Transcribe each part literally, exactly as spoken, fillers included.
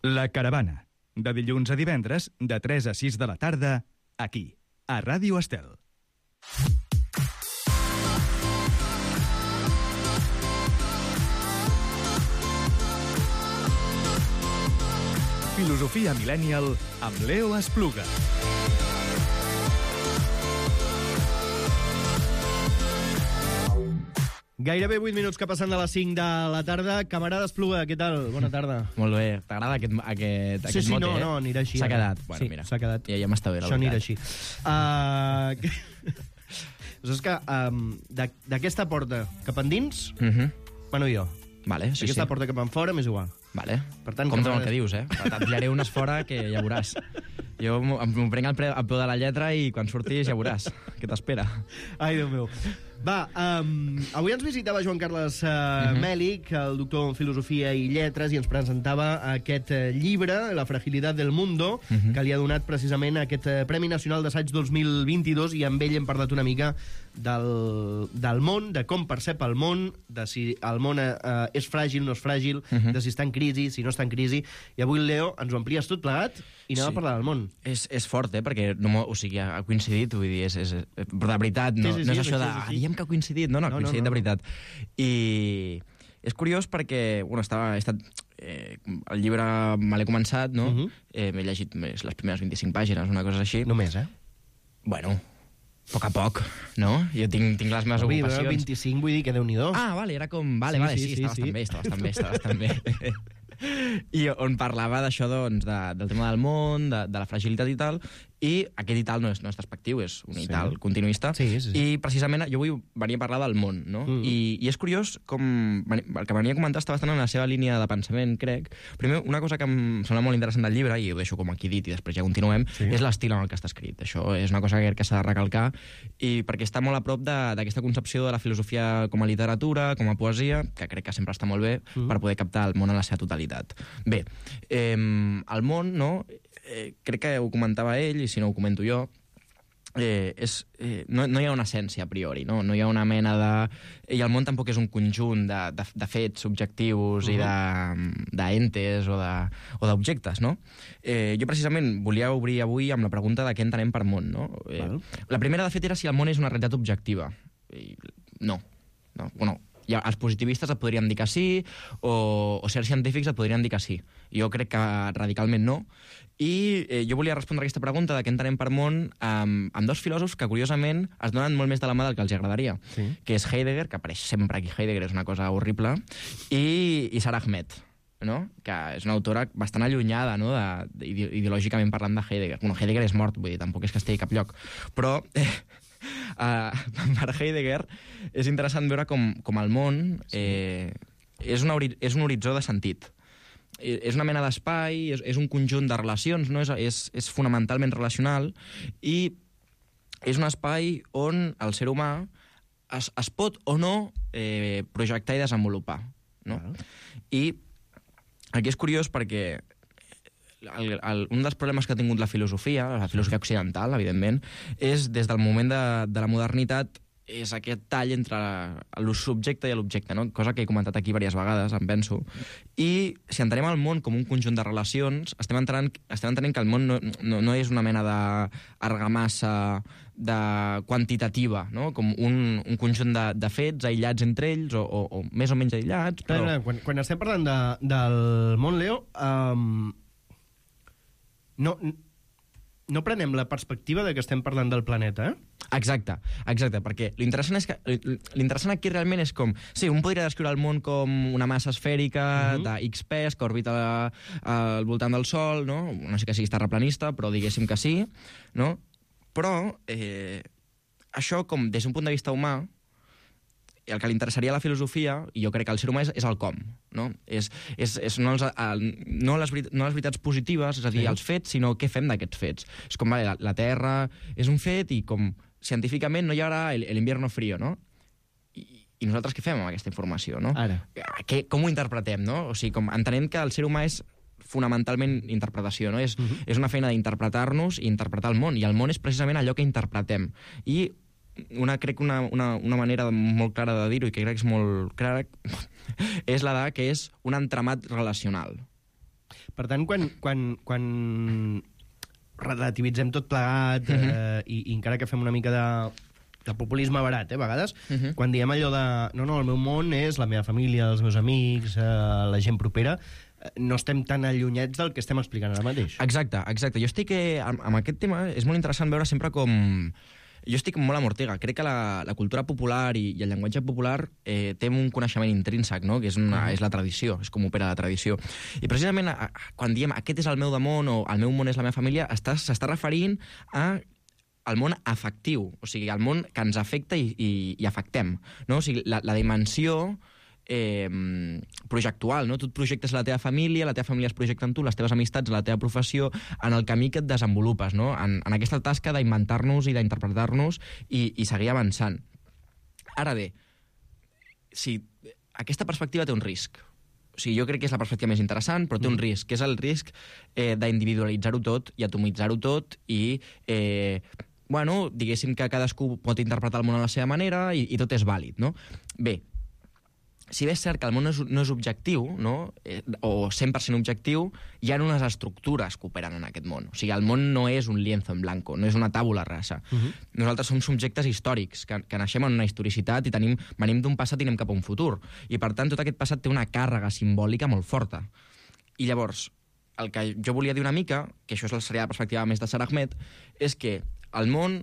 La Caravana, de dilluns a divendres, de tres a sis de la tarda, aquí, a Ràdio Estel. Filosofia Millennial amb Leo Espluga. Gairebé vuit minuts que passen de les cinc de la tarda. Camarada Espluga, què tal? Bona tarda. Molt bé. T'agrada aquest, aquest, sí, aquest sí, mote, no, eh? no, anirà així. S'ha ara. quedat. Bueno, sí, mira. s'ha quedat. Ja, ja m'està bé, la Això anirà veritat. així. Uh... és que um, d'aquesta porta cap endins, Uh -huh. bueno, jo. Vale, sí, D'aquesta sí. porta cap en fora, m'és igual. Vale. Per tant, compte amb camarada- el que dius, eh? Et pillaré unes fora que ja veuràs. Jo m'ho m'ho prenc al, pre, al peu de la lletra i quan surtis ja veuràs què t'espera. Ai, Déu meu. Va, um, avui ens visitava Joan Carles uh, uh -huh. Mèlich, el doctor en Filosofia i Lletres, i ens presentava aquest uh, llibre, La fragilitat del mundo, uh -huh. que li ha donat precisament aquest uh, Premi Nacional d'Assaig dos mil vint-i-dos, i amb ell hem parlat una mica del, del món, de com percep el món, de si el món uh, és fràgil, no és fràgil, uh -huh. de si està en crisi, si no està en crisi. I avui, Leo, ens ho amplies tot plegat i anem sí. a parlar del món. És, és fort, eh? Perquè no, o sigui, ha coincidit, vull dir, és, és, però de veritat, no, sí, sí, no és sí, això sí, de... sí, sí. Ah, diem que ha coincidit. No, no, ha No, coincidit no, no, de veritat. I és curiós perquè, bueno, estava, he estat... Eh, el llibre me l'he començat, no? Uh -huh. eh, m'he llegit més les primeres vint-i-cinc pàgines, una cosa així. Només, eh? Bueno, a poc a poc, no? Jo tinc, tinc les meves Avui, ocupacions. vint-i-cinc, vull dir que Déu-n'hi-do. Ah, vale, era com... Vale, Sí, vale, sí, sí, sí, està sí. bastant bé, està bastant bé, està bastant bé. I on parlava d'això, doncs, de, del tema del món, de, de la fragilitat i tal, i aquest i tal no és, no és despectiu, és un Sí. i tal continuista, Sí, sí, sí. i precisament jo vull venir a parlar del món, no? Mm. I, I és curiós com... El que venia a comentar està bastant en la seva línia de pensament, crec. Primer, una cosa que em sembla molt interessant del llibre, i ho deixo com aquí dit i després ja continuem, Sí. és l'estil en el que està escrit. Això és una cosa que crec que s'ha de recalcar, i perquè està molt a prop de- d'aquesta concepció de la filosofia com a literatura, com a poesia, que crec que sempre està molt bé Mm. per poder captar el món en la seva totalitat. Bé, eh, el món, no? Eh, crec que ho comentava ell, i si no ho comento jo, eh, és, eh, no, no hi ha una essència a priori, no? No hi ha una mena de... I el món tampoc és un conjunt de, de, de fets subjectius uh -huh. i de, d'entes o de, o d'objectes, no? Eh, jo precisament volia obrir avui amb la pregunta de què entenem per món, no? Eh, Val. la primera, de fet, era si el món és una realitat objectiva. I no. no. Bueno, ja, els positivistes et podrien dir que sí, o, o certs científics et podrien dir que sí. Jo crec que radicalment no. I eh, jo volia respondre a aquesta pregunta de què entenem per món amb, amb dos filòsofs que, curiosament, es donen molt més de la mà del que els agradaria, Sí. que és Heidegger, que apareix sempre aquí, Heidegger és una cosa horrible, i, i Sara Ahmed, no? Que és una autora bastant allunyada, no? de, de, ideològicament parlant, de Heidegger. Bueno, Heidegger és mort, vull dir, tampoc és que estigui a cap lloc, però... Eh, Uh, per Heidegger és interessant veure com, com el món eh, és, una, és un horitzó de sentit. És una mena d'espai, és, és un conjunt de relacions, no? és, és, és fonamentalment relacional, i és un espai on el ser humà es, es pot o no eh, projectar i desenvolupar, no? Val. I aquí és curiós perquè El, el, un dels problemes que ha tingut la filosofia, la filosofia occidental, evidentment, és des del moment de, de la modernitat, és aquest tall entre el subjecte i l'objecte, no? Cosa que he comentat aquí diverses vegades, em penso. I si entenem el món com un conjunt de relacions, estem entenent, estem entenent que el món no, no, no és una mena d'argamassa de quantitativa, no? Com un, un conjunt de, de fets aïllats entre ells, o, o, o més o menys aïllats. Però... Però... Quan, quan estem parlant de, del món, Leo, um, no, no prenem la perspectiva de que estem parlant del planeta, eh? Exacte, exacte, perquè l'interessant és que l'interessant aquí realment és com, sí, un podria descriure el món com una massa esfèrica uh -huh. de X pes que orbita al voltant del Sol, no? No sé que sigui terraplanista, però diguéssim que sí, no? Però eh, això, com des d'un punt de vista humà, el que li interessaria a la filosofia, i jo crec que el ser humà és, és el com, no? És, és, és no, els, el, no, les, no les veritats positives, és a dir, sí. els fets, sinó què fem d'aquests fets. És com, vale, la, la Terra és un fet i com científicament no hi haurà l'invierno frío, no? I, I nosaltres què fem amb aquesta informació, no? Ara. Que, com ho interpretem, no? O sigui, com entenem que el ser humà és fonamentalment interpretació, no? És, uh -huh. és una feina d'interpretar-nos i interpretar el món, i el món és precisament allò que interpretem. I una, crec una, una, una manera molt clara de dir-ho, i que crec que és molt clara, és la de que és un entramat relacional. Per tant, quan, quan, quan relativitzem tot plegat uh -huh. eh, i, i encara que fem una mica de, de populisme barat, eh, a vegades, uh -huh. quan diem allò de no, no, el meu món és la meva família, els meus amics, eh, la gent propera, no estem tan allunyats del que estem explicant ara mateix. Exacte, exacte. Jo estic... Eh, amb, amb aquest tema és molt interessant veure sempre com... Jo estic molt amb Ortega. Crec que la, la cultura popular i, i el llenguatge popular eh, té un coneixement intrínsec, no? Que és, una, uh-huh. és la tradició, és com opera la tradició. I precisament a, quan diem aquest és el meu món o el meu món és la meva família, s'està referint a el món afectiu, o sigui, el món que ens afecta i, i, i afectem, no? O sigui, la, la dimensió eh, projectual, no? Tu et projectes la teva família, la teva família es projecta en tu, les teves amistats, la teva professió, en el camí que et desenvolupes, no? En, en aquesta tasca d'inventar-nos i d'interpretar-nos i, i seguir avançant. Ara bé, si aquesta perspectiva té un risc. O sigui, jo crec que és la perspectiva més interessant, però té un risc, que és el risc eh, d'individualitzar-ho tot i atomitzar-ho tot i... Eh, bueno, diguéssim que cadascú pot interpretar el món a la seva manera i, i tot és vàlid, no? Bé, si bé és cert que el món no és, no és objectiu, no? Eh, o cent per cent objectiu, hi ha unes estructures que operen en aquest món. O sigui, el món no és un lienzo en blanco, no és una tàbula rasa. Uh-huh. Nosaltres som subjectes històrics, que, que naixem en una historicitat i tenim, venim d'un passat i anem cap a un futur. I, per tant, tot aquest passat té una càrrega simbòlica molt forta. I llavors, el que jo volia dir una mica, que això seria la perspectiva més de Sara Ahmed, és que el món...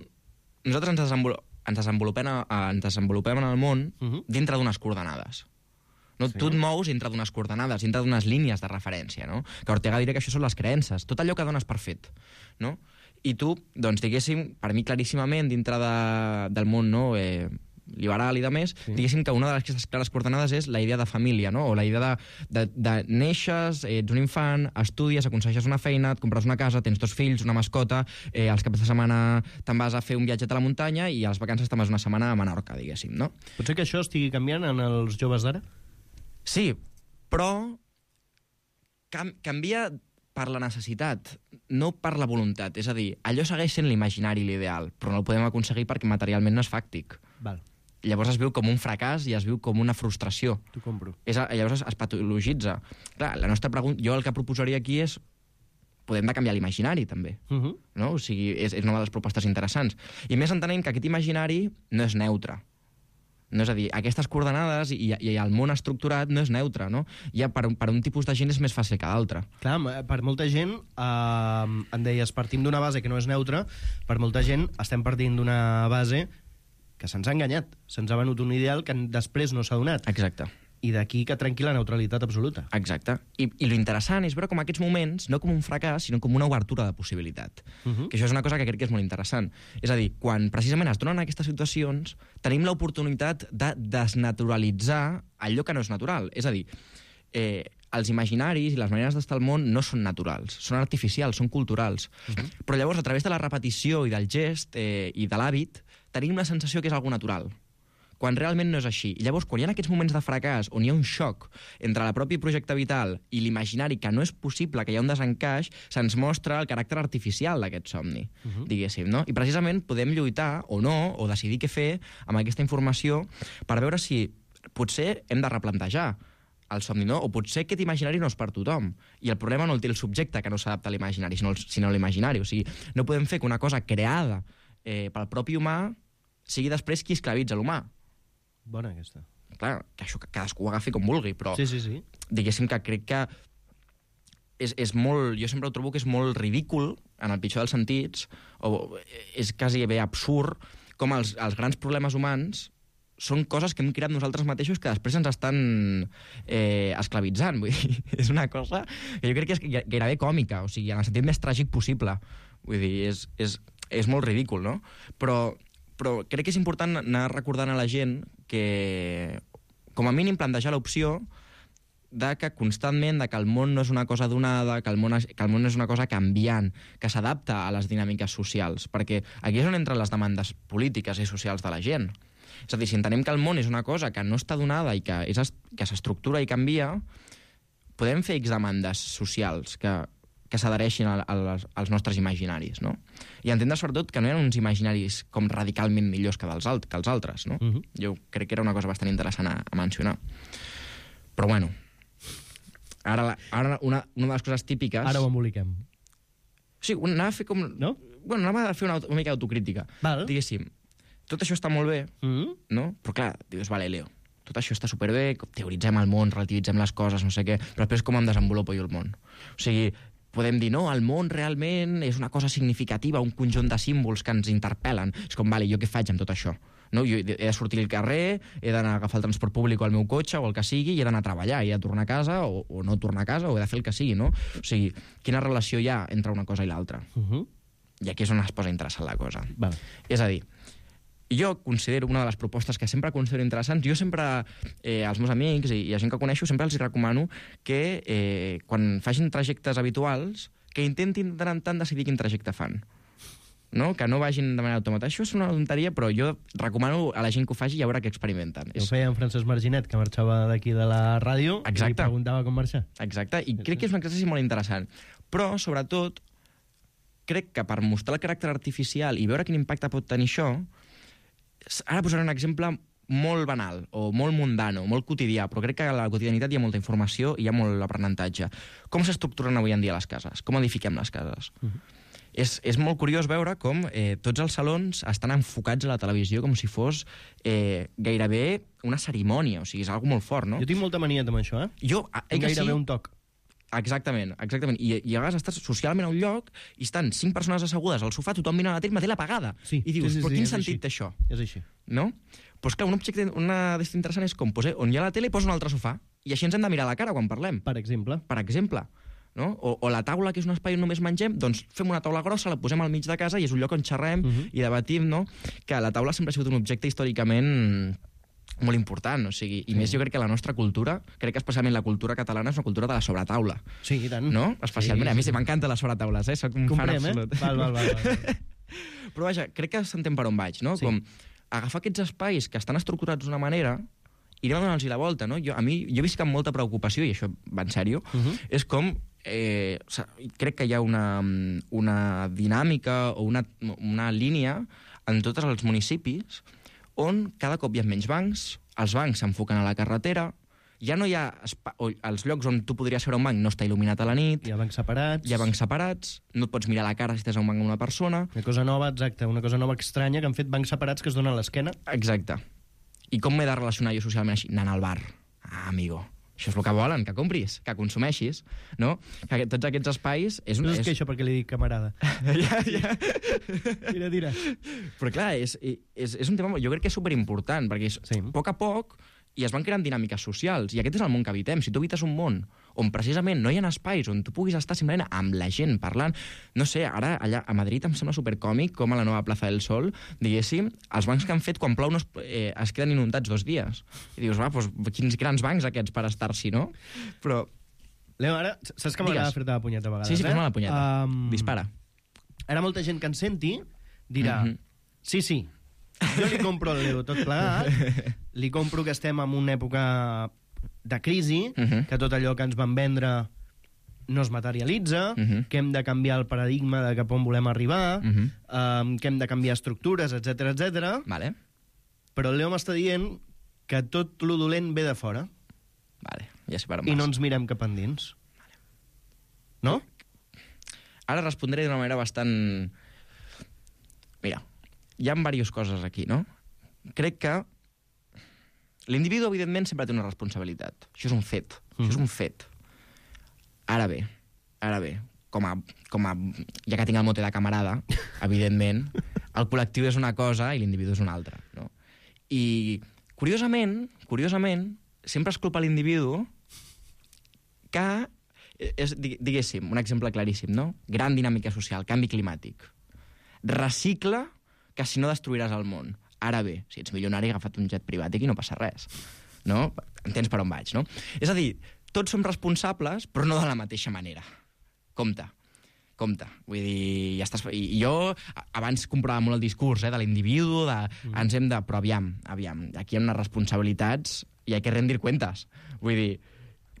Nosaltres ens, desenvolupem, ens, desenvolupem, a, ens desenvolupem en el món uh-huh. dintre d'unes coordenades. No? Sí. Tu et mous dintre d'unes coordenades, dintre d'unes línies de referència, no? Que Ortega diria que això són les creences, tot allò que dones per fet, no? I tu, doncs, diguéssim, per mi claríssimament, dintre de, del món no, eh, liberal i de més, sí. diguéssim que una de les clares coordenades és la idea de família, no? O la idea de, de, de neixes, ets un infant, estudies, aconsegueixes una feina, et compres una casa, tens dos fills, una mascota, eh, els caps de setmana te'n vas a fer un viatge a la muntanya i a les vacances te'n vas una setmana a Menorca, diguéssim, no? Pot ser que això estigui canviant en els joves d'ara? Sí, però cam canvia per la necessitat, no per la voluntat. És a dir, allò segueix sent l'imaginari i l'ideal, però no el podem aconseguir perquè materialment no és fàctic. Val. Llavors es viu com un fracàs i es viu com una frustració. T'ho compro. És, llavors es, es patologitza. Clar, la nostra pregunta, jo el que proposaria aquí és podem de canviar l'imaginari, també. Uh -huh. No? O sigui, és, és una de les propostes interessants. I més entenem que aquest imaginari no és neutre. No, és a dir, aquestes coordenades i, i el món estructurat no és neutre, no? Ja per, per un tipus de gent és més fàcil que d'altre. Clar, per molta gent, eh, em deies, partim d'una base que no és neutra, per molta gent estem partint d'una base que se'ns ha enganyat, se'ns ha venut un ideal que després no s'ha donat. Exacte. I d'aquí que trenqui la neutralitat absoluta. Exacte. I, i lo interessant és veure com aquests moments, no com un fracàs, sinó com una obertura de possibilitat. Uh -huh. Que això és una cosa que crec que és molt interessant. És a dir, quan precisament es donen aquestes situacions, tenim l'oportunitat de desnaturalitzar allò que no és natural. És a dir, eh, els imaginaris i les maneres d'estar al món no són naturals, són artificials, són culturals. Uh -huh. Però llavors, a través de la repetició i del gest eh, i de l'hàbit, tenim la sensació que és algo natural, quan realment no és així. I llavors, quan hi ha aquests moments de fracàs, on hi ha un xoc entre el propi projecte vital i l'imaginari, que no és possible, que hi ha un desencaix, se'ns mostra el caràcter artificial d'aquest somni, uh -huh. diguéssim, no? I precisament podem lluitar, o no, o decidir què fer amb aquesta informació per veure si potser hem de replantejar el somni, no? O potser aquest imaginari no és per tothom. I el problema no el té el subjecte, que no s'adapta a l'imaginari, sinó, sinó l'imaginari. O sigui, no podem fer que una cosa creada eh, pel propi humà sigui després qui esclavitza l'humà. Bona aquesta. Clar, que això que cadascú ho agafi com vulgui, però sí, sí, sí. diguéssim que crec que és, és molt, jo sempre ho trobo que és molt ridícul, en el pitjor dels sentits, o és quasi bé absurd, com els, els grans problemes humans són coses que hem creat nosaltres mateixos que després ens estan eh, esclavitzant. Vull dir, és una cosa que jo crec que és gairebé còmica, o sigui, en el sentit més tràgic possible. Vull dir, és, és, és molt ridícul, no? Però però crec que és important anar recordant a la gent que, com a mínim, plantejar l'opció de que constantment de que el món no és una cosa donada, que el món, és, que el món és una cosa canviant, que s'adapta a les dinàmiques socials, perquè aquí és on entren les demandes polítiques i socials de la gent. És a dir, si entenem que el món és una cosa que no està donada i que, és, que s'estructura i canvia, podem fer X demandes socials que que s'adhereixin als nostres imaginaris, no? I entendre, sobretot, que no hi ha uns imaginaris com radicalment millors que, dels alt, que els altres, no? Uh -huh. Jo crec que era una cosa bastant interessant a, a mencionar. Però, bueno, Ara, la, ara una, una de les coses típiques... Ara ho emboliquem. Sí, anava a fer com... No? Bueno, anava a fer una, una mica d'autocrítica. Val. Diguéssim, tot això està molt bé, Mm? no? Però clar, dius, vale, Leo, tot això està superbé, teoritzem el món, relativitzem les coses, no sé què, però després com em desenvolupo jo el món? O sigui, podem dir, no, el món realment és una cosa significativa, un conjunt de símbols que ens interpel·len. És com, vale, jo què faig amb tot això? No? Jo he de sortir al carrer, he d'anar a agafar el transport públic o el meu cotxe o el que sigui, i he d'anar a treballar, i he de tornar a casa o, o no tornar a casa, o he de fer el que sigui, no? O sigui, quina relació hi ha entre una cosa i l'altra? Uh -huh. I aquí és on es posa interessant la cosa. Val. És a dir, jo considero una de les propostes que sempre considero interessants, jo sempre, eh, als meus amics i, i a gent que coneixo, sempre els hi recomano que eh, quan facin trajectes habituals, que intentin de tant en tant decidir quin trajecte fan. No? Que no vagin de manera automàtica. Això és una tonteria, però jo recomano a la gent que ho faci i a veure què experimenten. Ho feia en Francesc Marginet, que marxava d'aquí de la ràdio. Exacte. I li preguntava com marxar. Exacte, i crec que és un exercici molt interessant. Però, sobretot, crec que per mostrar el caràcter artificial i veure quin impacte pot tenir això, ara posaré un exemple molt banal, o molt mundano, molt quotidià, però crec que a la quotidianitat hi ha molta informació i hi ha molt aprenentatge. Com s'estructuren avui en dia les cases? Com edifiquem les cases? Uh -huh. És, és molt curiós veure com eh, tots els salons estan enfocats a la televisió com si fos eh, gairebé una cerimònia, o sigui, és algo molt fort, no? Jo tinc molta mania amb això, eh? Jo, eh, que gairebé sí, un toc. Exactament, exactament. I, i a vegades estàs socialment a un lloc i estan cinc persones assegudes al sofà, tothom mirant la tele, la tele apagada. Sí, I dius, sí, sí, però sí, quin és sentit així. té això? És així. No? Doncs clar, un objecte, una d'estes interessant és com, pues, eh, on hi ha la tele, posa un altre sofà, i així ens hem de mirar a la cara quan parlem. Per exemple. Per exemple. No? O, o la taula, que és un espai on només mengem, doncs fem una taula grossa, la posem al mig de casa i és un lloc on xerrem uh -huh. i debatim, no? Que la taula sempre ha sigut un objecte històricament molt important, o sigui, i sí. més jo crec que la nostra cultura, crec que especialment la cultura catalana és una cultura de la sobretaula. Sí, i tant. No? Especialment, sí, a mi sí. sí m'encanten les sobretaules, eh? Soc un fan Comprem, absolut. eh? Val, val, val. val. Però vaja, crec que s'entén per on vaig, no? Sí. Com agafar aquests espais que estan estructurats d'una manera i anem a donar-los la volta, no? Jo, a mi, jo visc amb molta preocupació, i això va en sèrio, uh -huh. és com eh, crec que hi ha una, una dinàmica o una, una línia en tots els municipis on cada cop hi ha menys bancs, els bancs s'enfoquen a la carretera, ja no hi ha... O els llocs on tu podries veure un banc no està il·luminat a la nit, Hi ha bancs separats. hi ha bancs separats, no et pots mirar a la cara si estàs a un banc amb una persona... Una cosa nova, exacte, una cosa nova estranya, que han fet bancs separats que es donen a l'esquena. Exacte. I com m'he de relacionar jo socialment així? Anant al bar. Ah, amigo, això és el que volen, que compris, que consumeixis, no? Que tots aquests espais... És, No és... és que això perquè li dic camarada. ja, ja. Tira, tira. Però clar, és, és, és un tema, jo crec que és superimportant, perquè és, Sí. a poc a poc i es van creant dinàmiques socials, i aquest és el món que habitem. Si tu habites un món on precisament no hi ha espais on tu puguis estar simplement amb la gent parlant, no sé, ara allà a Madrid em sembla supercòmic com a la nova Plaza del Sol, diguéssim, els bancs que han fet quan plou no es, eh, es queden inundats dos dies. I dius, va, doncs quins grans bancs aquests per estar-s'hi, no? Però... Leo, ara, saps que m'agrada Digues. fer-te la punyeta a vegades, Sí, sí, eh? fes-me la punyeta. Um, Dispara. Ara molta gent que ens senti dirà, Mhm. sí, sí, jo li compro el Leo tot plegat, li compro que estem en una època de crisi, Mhm. que tot allò que ens van vendre no es materialitza, Mhm. que hem de canviar el paradigma de cap on volem arribar, Mhm. um, que hem de canviar estructures, etc etc. Vale, Però el Leo m'està dient que tot lo dolent ve de fora vale, ja sé per on i vas. no ens mirem cap endins. No? Ara respondré d'una manera bastant... Mira, hi ha diverses coses aquí, no? Crec que l'individu, evidentment, sempre té una responsabilitat. Això és un fet. Mm. Això és un fet. Ara bé, ara bé, com a, com a, ja que tinc el mote de camarada, evidentment, el col·lectiu és una cosa i l'individu és una altra, no? I, curiosament, curiosament, sempre es culpa l'individu que és, diguéssim, un exemple claríssim, no? Gran dinàmica social, canvi climàtic. Recicla, que si no destruiràs el món. Ara bé, si ets milionari, agafa't un jet privat i aquí no passa res. No? Entens per on vaig, no? És a dir, tots som responsables, però no de la mateixa manera. Compte, compte. Vull dir, ja estàs... I jo abans comprava molt el discurs eh, de l'individu, de... Mm. ens hem de... Però aviam, aviam, aquí hi ha unes responsabilitats i hay que rendir cuentas. Vull dir,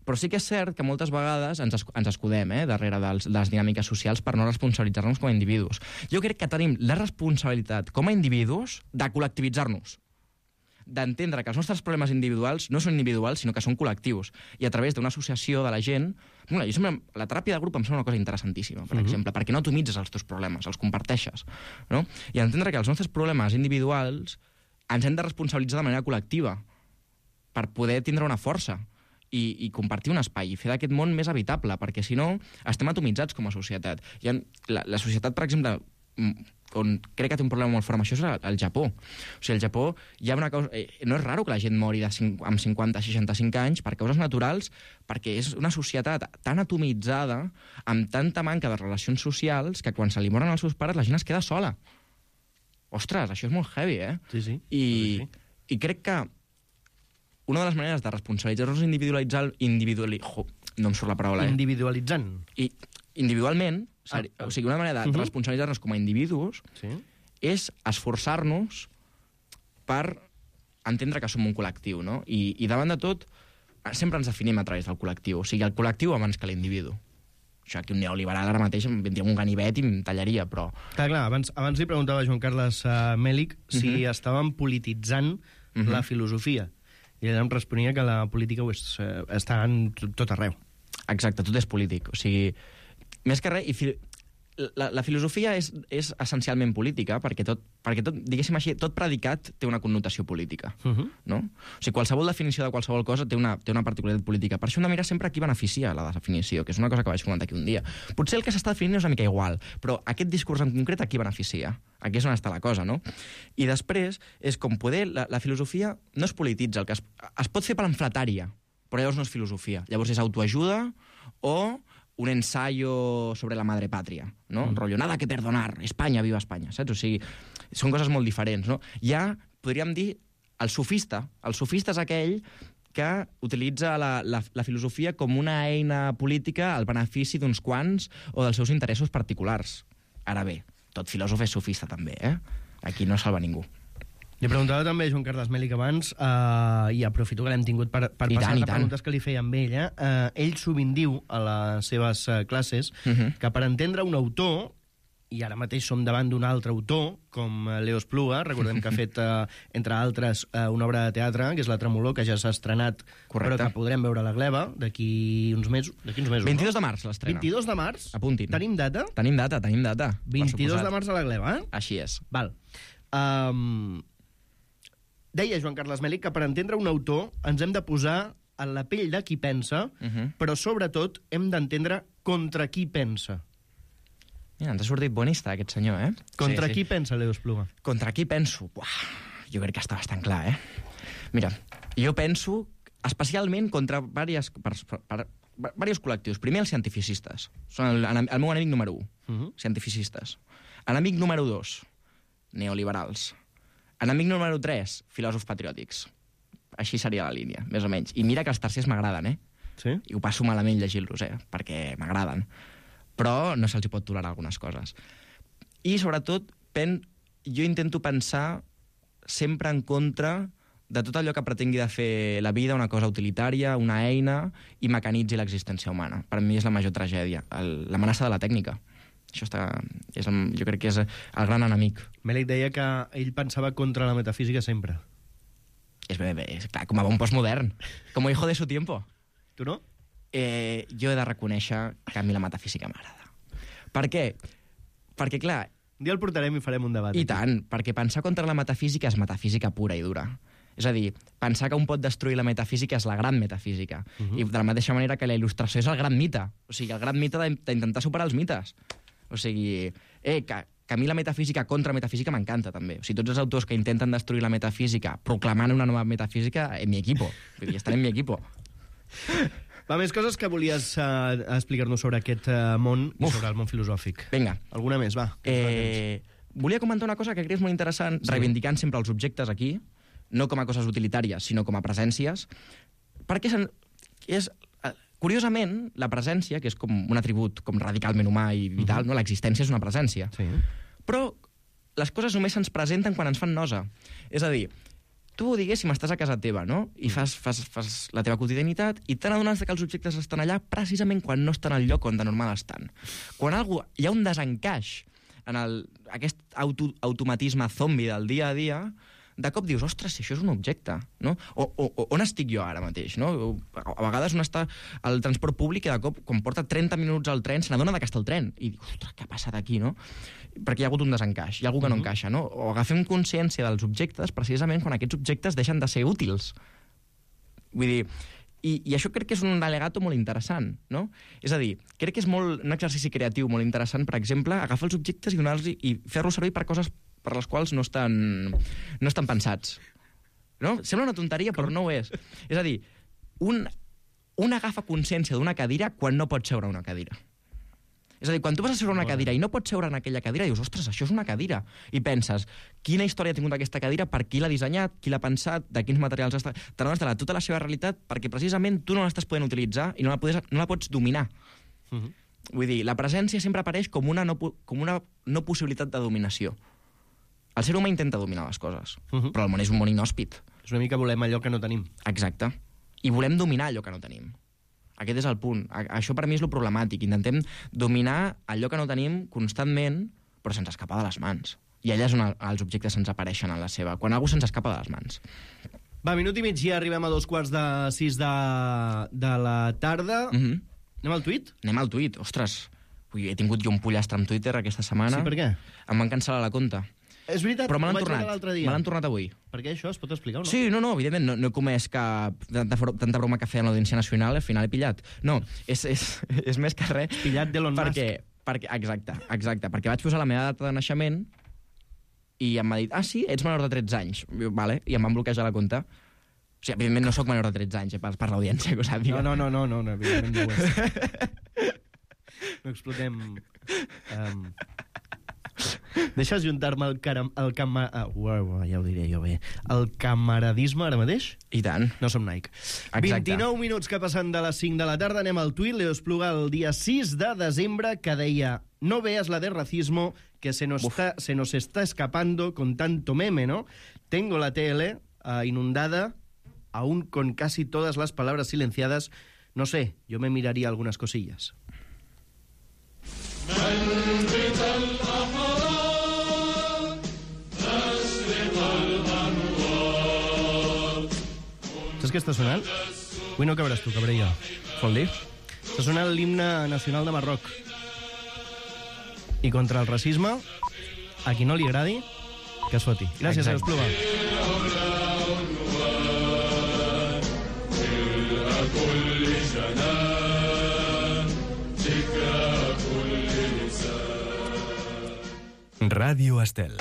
però sí que és cert que moltes vegades ens, esc ens escudem eh, darrere dels, de les dinàmiques socials per no responsabilitzar-nos com a individus. Jo crec que tenim la responsabilitat com a individus de col·lectivitzar-nos. d'entendre que els nostres problemes individuals no són individuals, sinó que són col·lectius. I a través d'una associació de la gent... Bueno, jo sembla, la teràpia de grup em sembla una cosa interessantíssima, per uh-huh. exemple, perquè no atomitzes els teus problemes, els comparteixes. No? I entendre que els nostres problemes individuals ens hem de responsabilitzar de manera col·lectiva per poder tindre una força i, i compartir un espai i fer d'aquest món més habitable, perquè si no estem atomitzats com a societat. I en, la, la societat, per exemple, on crec que té un problema molt fort amb això és el Japó. O sigui, al Japó hi ha una cosa... Eh, no és raro que la gent mori de cinc, amb cinquanta a seixanta-cinc anys per causes naturals, perquè és una societat tan atomitzada, amb tanta manca de relacions socials, que quan se li moren els seus pares la gent es queda sola. Ostres, això és molt heavy, eh? Sí, sí. I, sí, sí. i crec que una de les maneres de responsabilitzar-nos individualitzar... Individuali... Jo, no em surt la paraula, eh? Individualitzant. I individualment, Ah, o sigui, una manera de uh-huh. responsabilitzar-nos com a individus sí. és esforçar-nos per entendre que som un col·lectiu, no? I, i davant de tot, sempre ens definim a través del col·lectiu. O sigui, el col·lectiu abans que l'individu. Això aquí un neoliberal ara mateix em vendria un ganivet i em tallaria, però... Clar, clar, abans, abans li preguntava a Joan Carles uh, Mèlic si uh-huh. estàvem polititzant uh-huh. la filosofia. I ell em responia que la política ho és, uh, està en tot arreu. Exacte, tot és polític. O sigui, més que res, i fi... la, la filosofia és, és essencialment política, perquè tot, perquè tot, diguéssim així, tot predicat té una connotació política. Uh-huh. No? O sigui, qualsevol definició de qualsevol cosa té una, té una particularitat política. Per això hem de mirar sempre a qui beneficia la definició, que és una cosa que vaig comentar aquí un dia. Potser el que s'està definint és una mica igual, però aquest discurs en concret a qui beneficia? Aquí és on està la cosa, no? I després és com poder... La, la filosofia no es polititza, el que es, es pot fer pamfletària, però llavors no és filosofia. Llavors és autoajuda o un ensayo sobre la madre patria, no? Mm. Rollo, nada que perdonar, Espanya, viva Espanya, saps? O sigui, són coses molt diferents, no? Ja podríem dir el sofista. El sofista és aquell que utilitza la, la, la filosofia com una eina política al benefici d'uns quants o dels seus interessos particulars. Ara bé, tot filòsof és sofista també, eh? Aquí no salva ningú. Li preguntava també a Joan Carles Mèlic abans, uh, i aprofito que l'hem tingut per, per passar les preguntes que li feia amb ella. Uh, ell sovint diu a les seves uh, classes uh-huh. que per entendre un autor, i ara mateix som davant d'un altre autor, com Leo Espluga, recordem que ha fet, uh, entre altres, uh, una obra de teatre, que és La Tremolor, que ja s'ha estrenat, correcte, però que podrem veure a la Gleva d'aquí uns mesos. D'aquí uns mesos, vint-i-dos no? de març l'estrena. vint-i-dos de març? Apuntin. Tenim data? Tenim data, tenim data. vint-i-dos de març a la Gleva, eh? Així és. Val. Um... Deia Joan Carles Mèlic que per entendre un autor ens hem de posar en la pell de qui pensa, uh-huh. però sobretot hem d'entendre contra qui pensa. Mira, ens ha sortit bonista aquest senyor, eh? Contra sí, qui sí. pensa, Leo Espluga? Contra qui penso? Buah, jo crec que està bastant clar, eh? Mira, jo penso especialment contra diversos, per, per, per, diversos col·lectius. Primer, els cientificistes. Són el, el meu enemic número un, uh-huh. cientificistes. Enemic número dos, neoliberals. Enemic número tres, filòsofs patriòtics. Així seria la línia, més o menys. I mira que els tercers m'agraden, eh? Sí? I ho passo malament llegir-los, eh? Perquè m'agraden. Però no se'ls pot tolerar algunes coses. I, sobretot, pen... jo intento pensar sempre en contra de tot allò que pretengui de fer la vida una cosa utilitària, una eina, i mecanitzi l'existència humana. Per mi és la major tragèdia, l'amenaça de la tècnica. Això està, és el, jo crec que és el gran enemic. Mèlic deia que ell pensava contra la metafísica sempre. És bé, bé, és clar, com a bon postmodern, com a hijo de su tiempo. Tu no? Eh, jo he de reconèixer que a mi la metafísica m'agrada. Per què? Perquè, clar... Un dia el portarem i farem un debat. I tant, perquè pensar contra la metafísica és metafísica pura i dura. És a dir, pensar que un pot destruir la metafísica és la gran metafísica. Uh-huh. I de la mateixa manera que la il·lustració és el gran mite. O sigui, el gran mite d'intentar superar els mites. O sigui, eh, que, que a mi la metafísica contra metafísica m'encanta, també. O sigui, tots els autors que intenten destruir la metafísica proclamant una nova metafísica, en mi equipo. Vull dir, estan en mi equipo. Va, més coses que volies uh, explicar-nos sobre aquest uh, món i sobre el món filosòfic. Vinga. Alguna més, va. Eh, volia comentar una cosa que crec que és molt interessant, sí. Reivindicant sempre els objectes aquí, no com a coses utilitàries, sinó com a presències, perquè és... Curiosament, la presència, que és com un atribut com radicalment humà i vital, uh-huh. no? L'existència és una presència. Sí. Però les coses només se'ns presenten quan ens fan nosa. És a dir, tu, diguéssim, estàs a casa teva, no? I fas, fas, fas la teva quotidianitat i te n'adones que els objectes estan allà precisament quan no estan al lloc on de normal estan. Quan algú, hi ha un desencaix en el, aquest auto, automatisme zombi del dia a dia, de cop dius, ostres, si això és un objecte, no? O, o, o on estic jo ara mateix, no? A vegades un està al transport públic i de cop, quan porta trenta minuts al tren, se n'adona que està el tren. I diu, ostres, què ha passat aquí, no? Perquè hi ha hagut un desencaix, hi ha algú que no encaixa, no? O agafem consciència dels objectes precisament quan aquests objectes deixen de ser útils. Vull dir, i, i això crec que és un alegato molt interessant, no? És a dir, crec que és molt, un exercici creatiu molt interessant, per exemple, agafar els objectes i, donar-los i fer-los servir per coses per les quals no estan, no estan pensats. No? Sembla una tonteria, però no ho és. És a dir, un, un agafa consciència d'una cadira quan no pot seure a una cadira. És a dir, quan tu vas a seure a una cadira i no pots seure en aquella cadira, dius, ostres, això és una cadira. I penses, quina història ha tingut aquesta cadira, per qui l'ha dissenyat, qui l'ha pensat, de quins materials està... T'adones de la, tota la seva realitat perquè precisament tu no l'estàs podent utilitzar i no la, podes, no la pots dominar. Uh -huh. Vull dir, la presència sempre apareix com una no, com una no possibilitat de dominació. El ser humà intenta dominar les coses, uh -huh. però el món és un món inhòspit. És una mica volem allò que no tenim. Exacte. I volem dominar allò que no tenim. Aquest és el punt. Això per mi és lo problemàtic. Intentem dominar allò que no tenim constantment, però se'ns escapa de les mans. I allà és on els objectes se'ns apareixen en la seva. Quan algú se'ns escapa de les mans. Va, minut i mig, ja arribem a dos quarts de sis de, de la tarda. Mm-hmm. Anem al tuit? Anem al tuit. Ostres, ui, he tingut jo un pollastre amb Twitter aquesta setmana. Sí, per què? Em van cancel·lar la compte. És veritat, però me l'han ho vaig tornat. veure l'altre dia. Me l'han tornat avui. Per què això? Es pot explicar o no? Sí, no, no, evidentment, no, no he comès cap... Tanta, tanta broma que feia en l'Audiència Nacional, al final he pillat. No, és, és, és més que res... Pillat d'Elon Musk. Perquè, perquè, exacte, exacte, perquè vaig posar la meva data de naixement i em va dir, ah, sí, ets menor de tretze anys. I, vale, i em van bloquejar la compte. O sigui, evidentment no sóc menor de tretze anys, eh, per, per l'audiència, que ho sàpiga. No, no, no, no, no, evidentment no ho és. No explotem... Um... Deixes juntar-me el, caram, el cama... Ah, uau, ja ho diré jo bé. El camaradisme ara mateix? I tant. No som Nike. Exacte. vint-i-nou minuts que passen de les cinc de la tarda. Anem al tuit. Leo Espluga el dia sis de desembre que deia: no veas la de racismo que se nos, está, se nos está escapando con tanto meme, ¿no? Tengo la T L uh, inundada, aún con casi todas las palabras silenciadas. No sé, yo me miraría algunas cosillas. Saps què està sonant? Avui no cabràs tu, cabré jo. Vol dir? Està sonant l'himne nacional de Marroc. I contra el racisme, a qui no li agradi, que es foti. Gràcies, Leo Espluga. Ràdio Estel.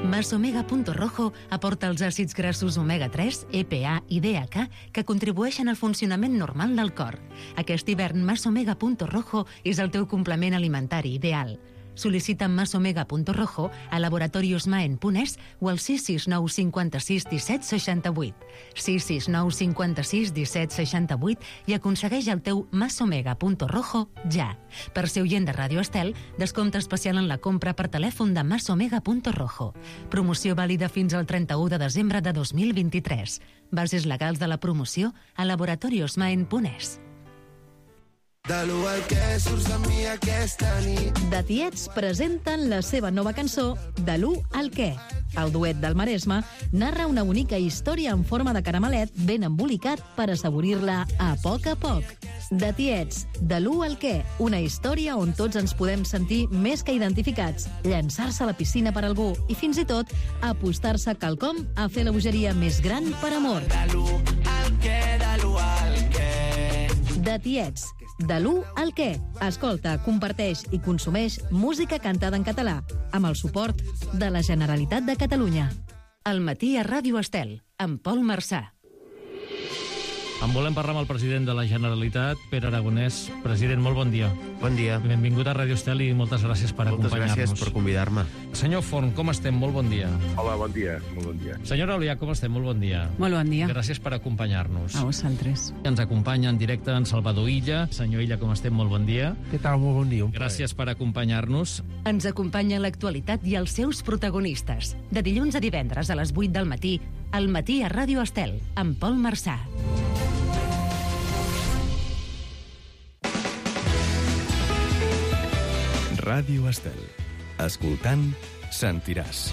Masomega Punto Rojo aporta els àcids grassos omega tres, E P A i D H A que contribueixen al funcionament normal del cor. Aquest hivern, Masomega Punto Rojo és el teu complement alimentari ideal. Sol·licita Masomega Punto Rojo a Laboratorios Maen Punès o al sis sis nou cinquanta-sis disset seixanta-vuit. sis sis nou cinquanta-sis disset seixanta-vuit i aconsegueix el teu Masomega Punto Rojo ja. Per ser oient de Ràdio Estel, descompte especial en la compra per telèfon de Masomega Punto Rojo. Promoció vàlida fins al trenta-u de desembre de dos mil vint-i-tres. Bases legals de la promoció a Laboratorios Maen Punès. De l'u al que surts de mi aquesta nit. The Tiets presenten la seva nova cançó De l'u al què. El duet del Maresme narra una bonica història en forma de caramelet ben embolicat per assaborir-la a poc a poc. The Tiets, De l'u al què. Una història on tots ens podem sentir més que identificats, llançar-se a la piscina per algú i fins i tot apostar-se quelcom a fer la bogeria més gran per amor. De l'u al què, de l'u al què. The Tiets, De l'u al què. Escolta, comparteix i consumeix música cantada en català, amb el suport de la Generalitat de Catalunya. Al matí a Ràdio Estel, amb Pol Marçà. En volem parlar amb el president de la Generalitat, Pere Aragonès. President, molt bon dia. Bon dia. Benvingut a Ràdio Estel i moltes gràcies per Moltes acompanyar-nos. gràcies per convidar-me. Senyor Forn, com estem? Molt bon dia. Hola, bon dia. Molt bon dia. Senyora Olià, com estem? Molt bon dia. Molt bon dia. Gràcies per acompanyar-nos. A vosaltres. Ens acompanya en directe en Salvador Illa. Senyor Illa, com estem? Molt bon dia. Què tal? Molt bon dia. Gràcies per acompanyar-nos. Ens acompanya l'actualitat i els seus protagonistes. De dilluns a divendres a les vuit del matí, al matí a Ràdio Estel, amb Pol Marçà. Ràdio Estel. Escoltant, sentiràs.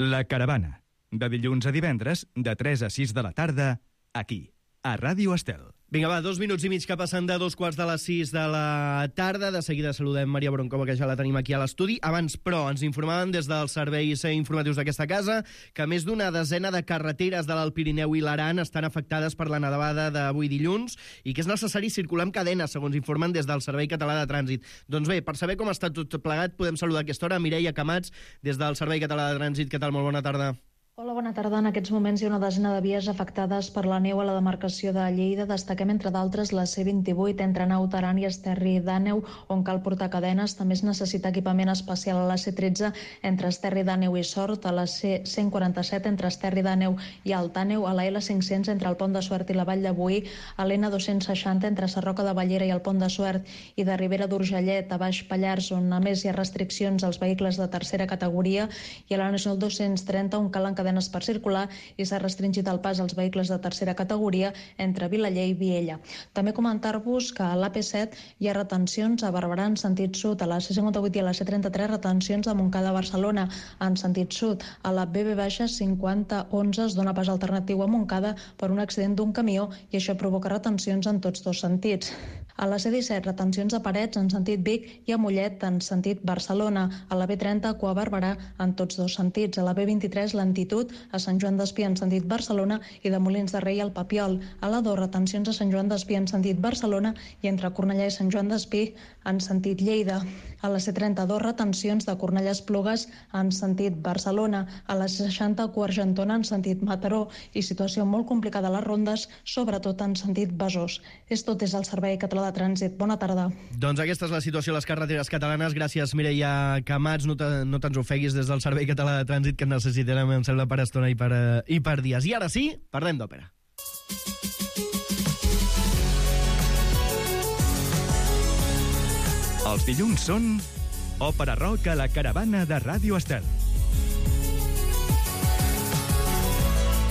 La Caravana. De dilluns a divendres, de tres a sis de la tarda, aquí, a Ràdio Estel. Vinga, va, dos minuts i mig que passen de dos quarts de les sis de la tarda. De seguida saludem Maria Broncova, que ja la tenim aquí a l'estudi. Abans, però, ens informaven des dels serveis informatius d'aquesta casa que més d'una desena de carreteres de l'Alt Pirineu i l'Aran estan afectades per la nevada d'avui dilluns i que és necessari circular amb cadena, segons informen des del Servei Català de Trànsit. Doncs bé, per saber com està tot plegat, podem saludar a aquesta hora Mireia Camats, des del Servei Català de Trànsit. Què tal? Molt bona tarda. Hola, bona tarda. En aquests moments hi ha una desena de vies afectades per la neu a la demarcació de Lleida. Destaquem, entre d'altres, la C vint-i-vuit entre Naut Aran i Esterri d'Àneu, on cal portar cadenes. També es necessita equipament especial a la C tretze entre Esterri d'Àneu i Sort, a la C cent quaranta-set entre Esterri d'Àneu i Alt Àneu, a la L cinc-cents entre el Pont de Suert i la Vall de Boí, a l'N dos-cents seixanta entre Sarroca de Bellera i el Pont de Suert i de Ribera d'Urgellet a Baix Pallars, on a més hi ha restriccions als vehicles de tercera categoria, i a la Nacional dos-cents trenta, on calen cadenes per circular i s'ha restringit el pas als vehicles de tercera categoria entre Vilaller i Viella. També comentar-vos que a l'A P set hi ha retencions a Barberà en sentit sud, a la C cinquanta-vuit i a la C trenta-tres retencions a Montcada a Barcelona en sentit sud. A la B B cinquanta onze es dona pas alternatiu a Montcada per un accident d'un camió i això provoca retencions en tots dos sentits. A la C disset, retencions a Parets en sentit Vic i a Mollet en sentit Barcelona. A la B trenta, a Cua Barberà en tots dos sentits. A la B vint-i-tres, lentitud a Sant Joan d'Espí en sentit Barcelona i de Molins de Rei al Papiol. A la dos, retencions a Sant Joan d'Espí en sentit Barcelona i entre Cornellà i Sant Joan d'Espí en sentit Lleida. A la C trenta-dos, retencions de Cornellà a Esplugues en sentit Barcelona. A la C seixanta, Cua Argentona en sentit Mataró i situació molt complicada a les rondes, sobretot en sentit Besòs. És tot des del Servei Català de Trànsit. Bona tarda. Doncs aquesta és la situació a les carreteres catalanes. Gràcies, Mireia Camats. No, te, no te'ns ofeguis des del Servei Català de Trànsit, que necessitarem, em sembla, per estona i per, uh, i per dies. I ara sí, parlem d'òpera. Els dilluns són Òpera Rock a la Caravana de Ràdio Estel.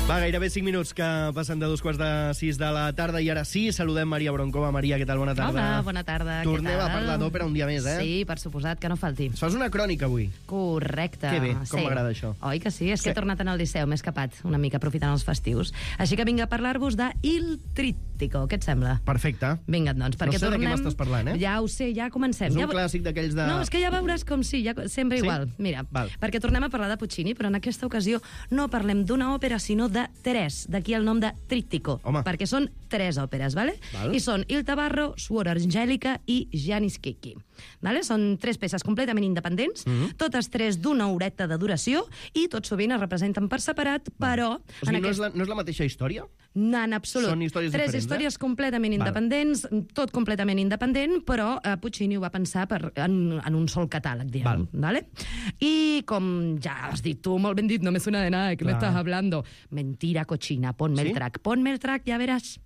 Va, gairebé cinc minuts que passen de dos quarts de sis de la tarda i ara sí, saludem Maria Broncova. Maria, què tal? Bona tarda. Hola, bona tarda. Tornem a parlar d'òpera un dia més, eh? Sí, per suposat, que no falti. Es fas una crònica avui. Correcte. Que bé, com sí. m'agrada això. Oi que sí? És Sí. que he tornat en el Liceu, m'he escapat una mica aprofitant els festius. Així que vinc a parlar-vos de Il Trittico. Què et sembla? Perfecte. Vinga, doncs, perquè No sé de tornem... què m'estàs parlant, eh? Ja ho sé, ja comencem. És ja... un clàssic d'aquells de... No, és que ja veuràs com sí, ja... sempre Sí? igual. Mira, Val. perquè tornem a parlar de Puccini, però en aquesta ocasió no parlem d'una òpera, sinó de tres. D'aquí el nom de Trittico. Home. Perquè són tres òperes, ¿vale? Val. I són Il Tabarro, Suor Angelica i Janis Kiki. ¿Vale? Són tres peces completament independents, Mhm. totes tres d'una horeta de duració, i tot sovint es representen per separat, però... O sigui, en no, és aquest... la, no és la mateixa història? No, en absolut. Són històries Tres diferents, històries eh? completament Val. independents, tot completament independent, però eh, Puccini ho va pensar per, en, en un sol catàleg, diguem. Val. ¿Vale? I com ja has dit tu, molt ben dit, no me suena de nada, ¿de qué me Clar. estás hablando? Mentira, cochina, ponme ¿Sí? el track. Ponme el track, ya verás.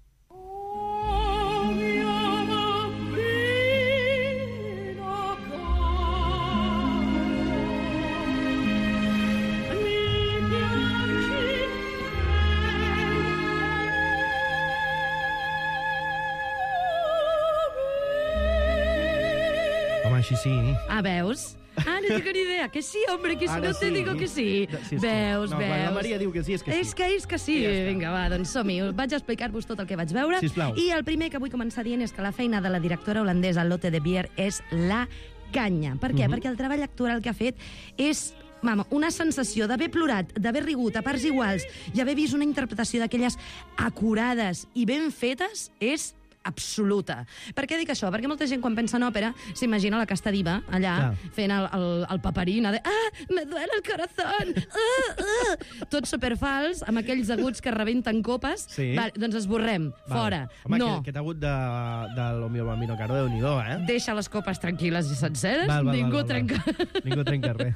Home, així sí. Ah, veus? Ah, no tengo ni idea. Que sí, hombre, que si Ara no te sí. digo que sí. Sí, és que- Veus, no, veus. quan la Maria diu que sí, és que sí. És que és que sí. I ja està. Vinga, va, doncs som-hi. Vaig a explicar-vos tot el que vaig veure. Sisplau. I el primer que vull començar dient és que la feina de la directora holandesa Lotte de Beer és la canya. Per què? Mhm. Perquè el treball actoral que ha fet és mama, una sensació d'haver plorat, d'haver rigut a parts iguals i haver vist una interpretació d'aquelles acurades i ben fetes és absoluta. Per què dic això? Perquè molta gent, quan pensa en òpera, s'imagina la casta diva allà, Clar. fent el, el, el paperina de «Ah, me duele el corazón! Ah, ah!» Tot superfals, amb aquells aguts que rebenten copes. Sí. Vale, doncs esborrem, Val. fora. Home, no. que, que t'ha hagut de, de lo mio bambino caro, Déu-n'hi-do, eh? Deixa les copes tranquil·les i senceres. Val, val, Ningú val, val, trenca... val. Ningú trenca res.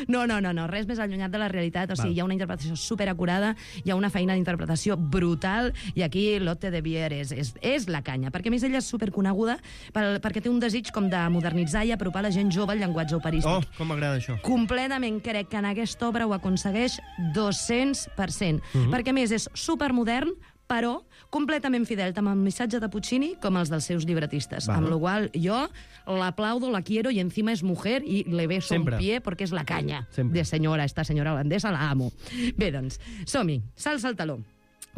No, no, no, no, res més allunyat de la realitat. O sigui, Val. hi ha una interpretació superacurada, hi ha una feina d'interpretació brutal, i aquí Lotte de Beer és, és, és la canya. Perquè, a més, ella és superconeguda per, perquè té un desig com de modernitzar i apropar la gent jove al llenguatge operístic. Oh, com m'agrada això. Completament crec que en aquesta obra ho aconsegueix dos-cents per cent. Mhm. Perquè, a més, és supermodern, però completament fidel tant al missatge de Puccini com als dels seus llibretistes. Bueno. Amb la qual jo l'aplaudo, la quiero y encima es mujer y le beso Sempre. un pie porque es la caña Sempre. de senyora, esta senyora holandesa, la amo. Bé, doncs, som-hi, salsa al taló.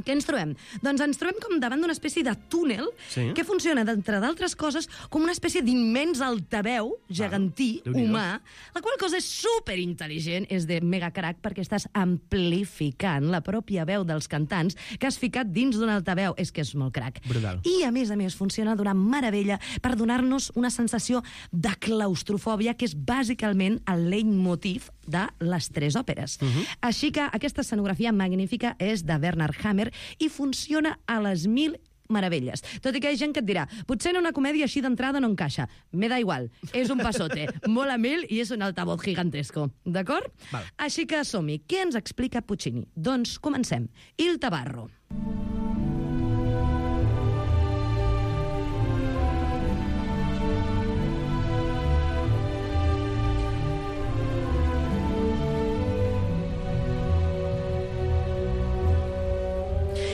Què ens trobem? Doncs ens trobem com davant d'una espècie de túnel Sí. que funciona, d'entre d'altres coses, com una espècie d'immens altaveu gegantí, Déu-n'hi-do. humà, la qual cosa és superintel·ligent, és de mega crack, perquè estàs amplificant la pròpia veu dels cantants que has ficat dins d'un altaveu. És que és molt crack. Brutal. I, a més a més, funciona d'una meravella per donar-nos una sensació de claustrofòbia, que és bàsicament el leitmotiv de les tres òperes. Uh -huh. Així que aquesta escenografia magnífica és de Bernard Hammer i funciona a les mil meravelles. Tot i que hi ha gent que et dirà, potser en una comèdia així d'entrada no encaixa. Me da igual, és un passote, molt a mil i és un altavoz gigantesco. D'acord? Val. Així que som-hi. Què ens explica Puccini? Doncs comencem. Il Tabarro.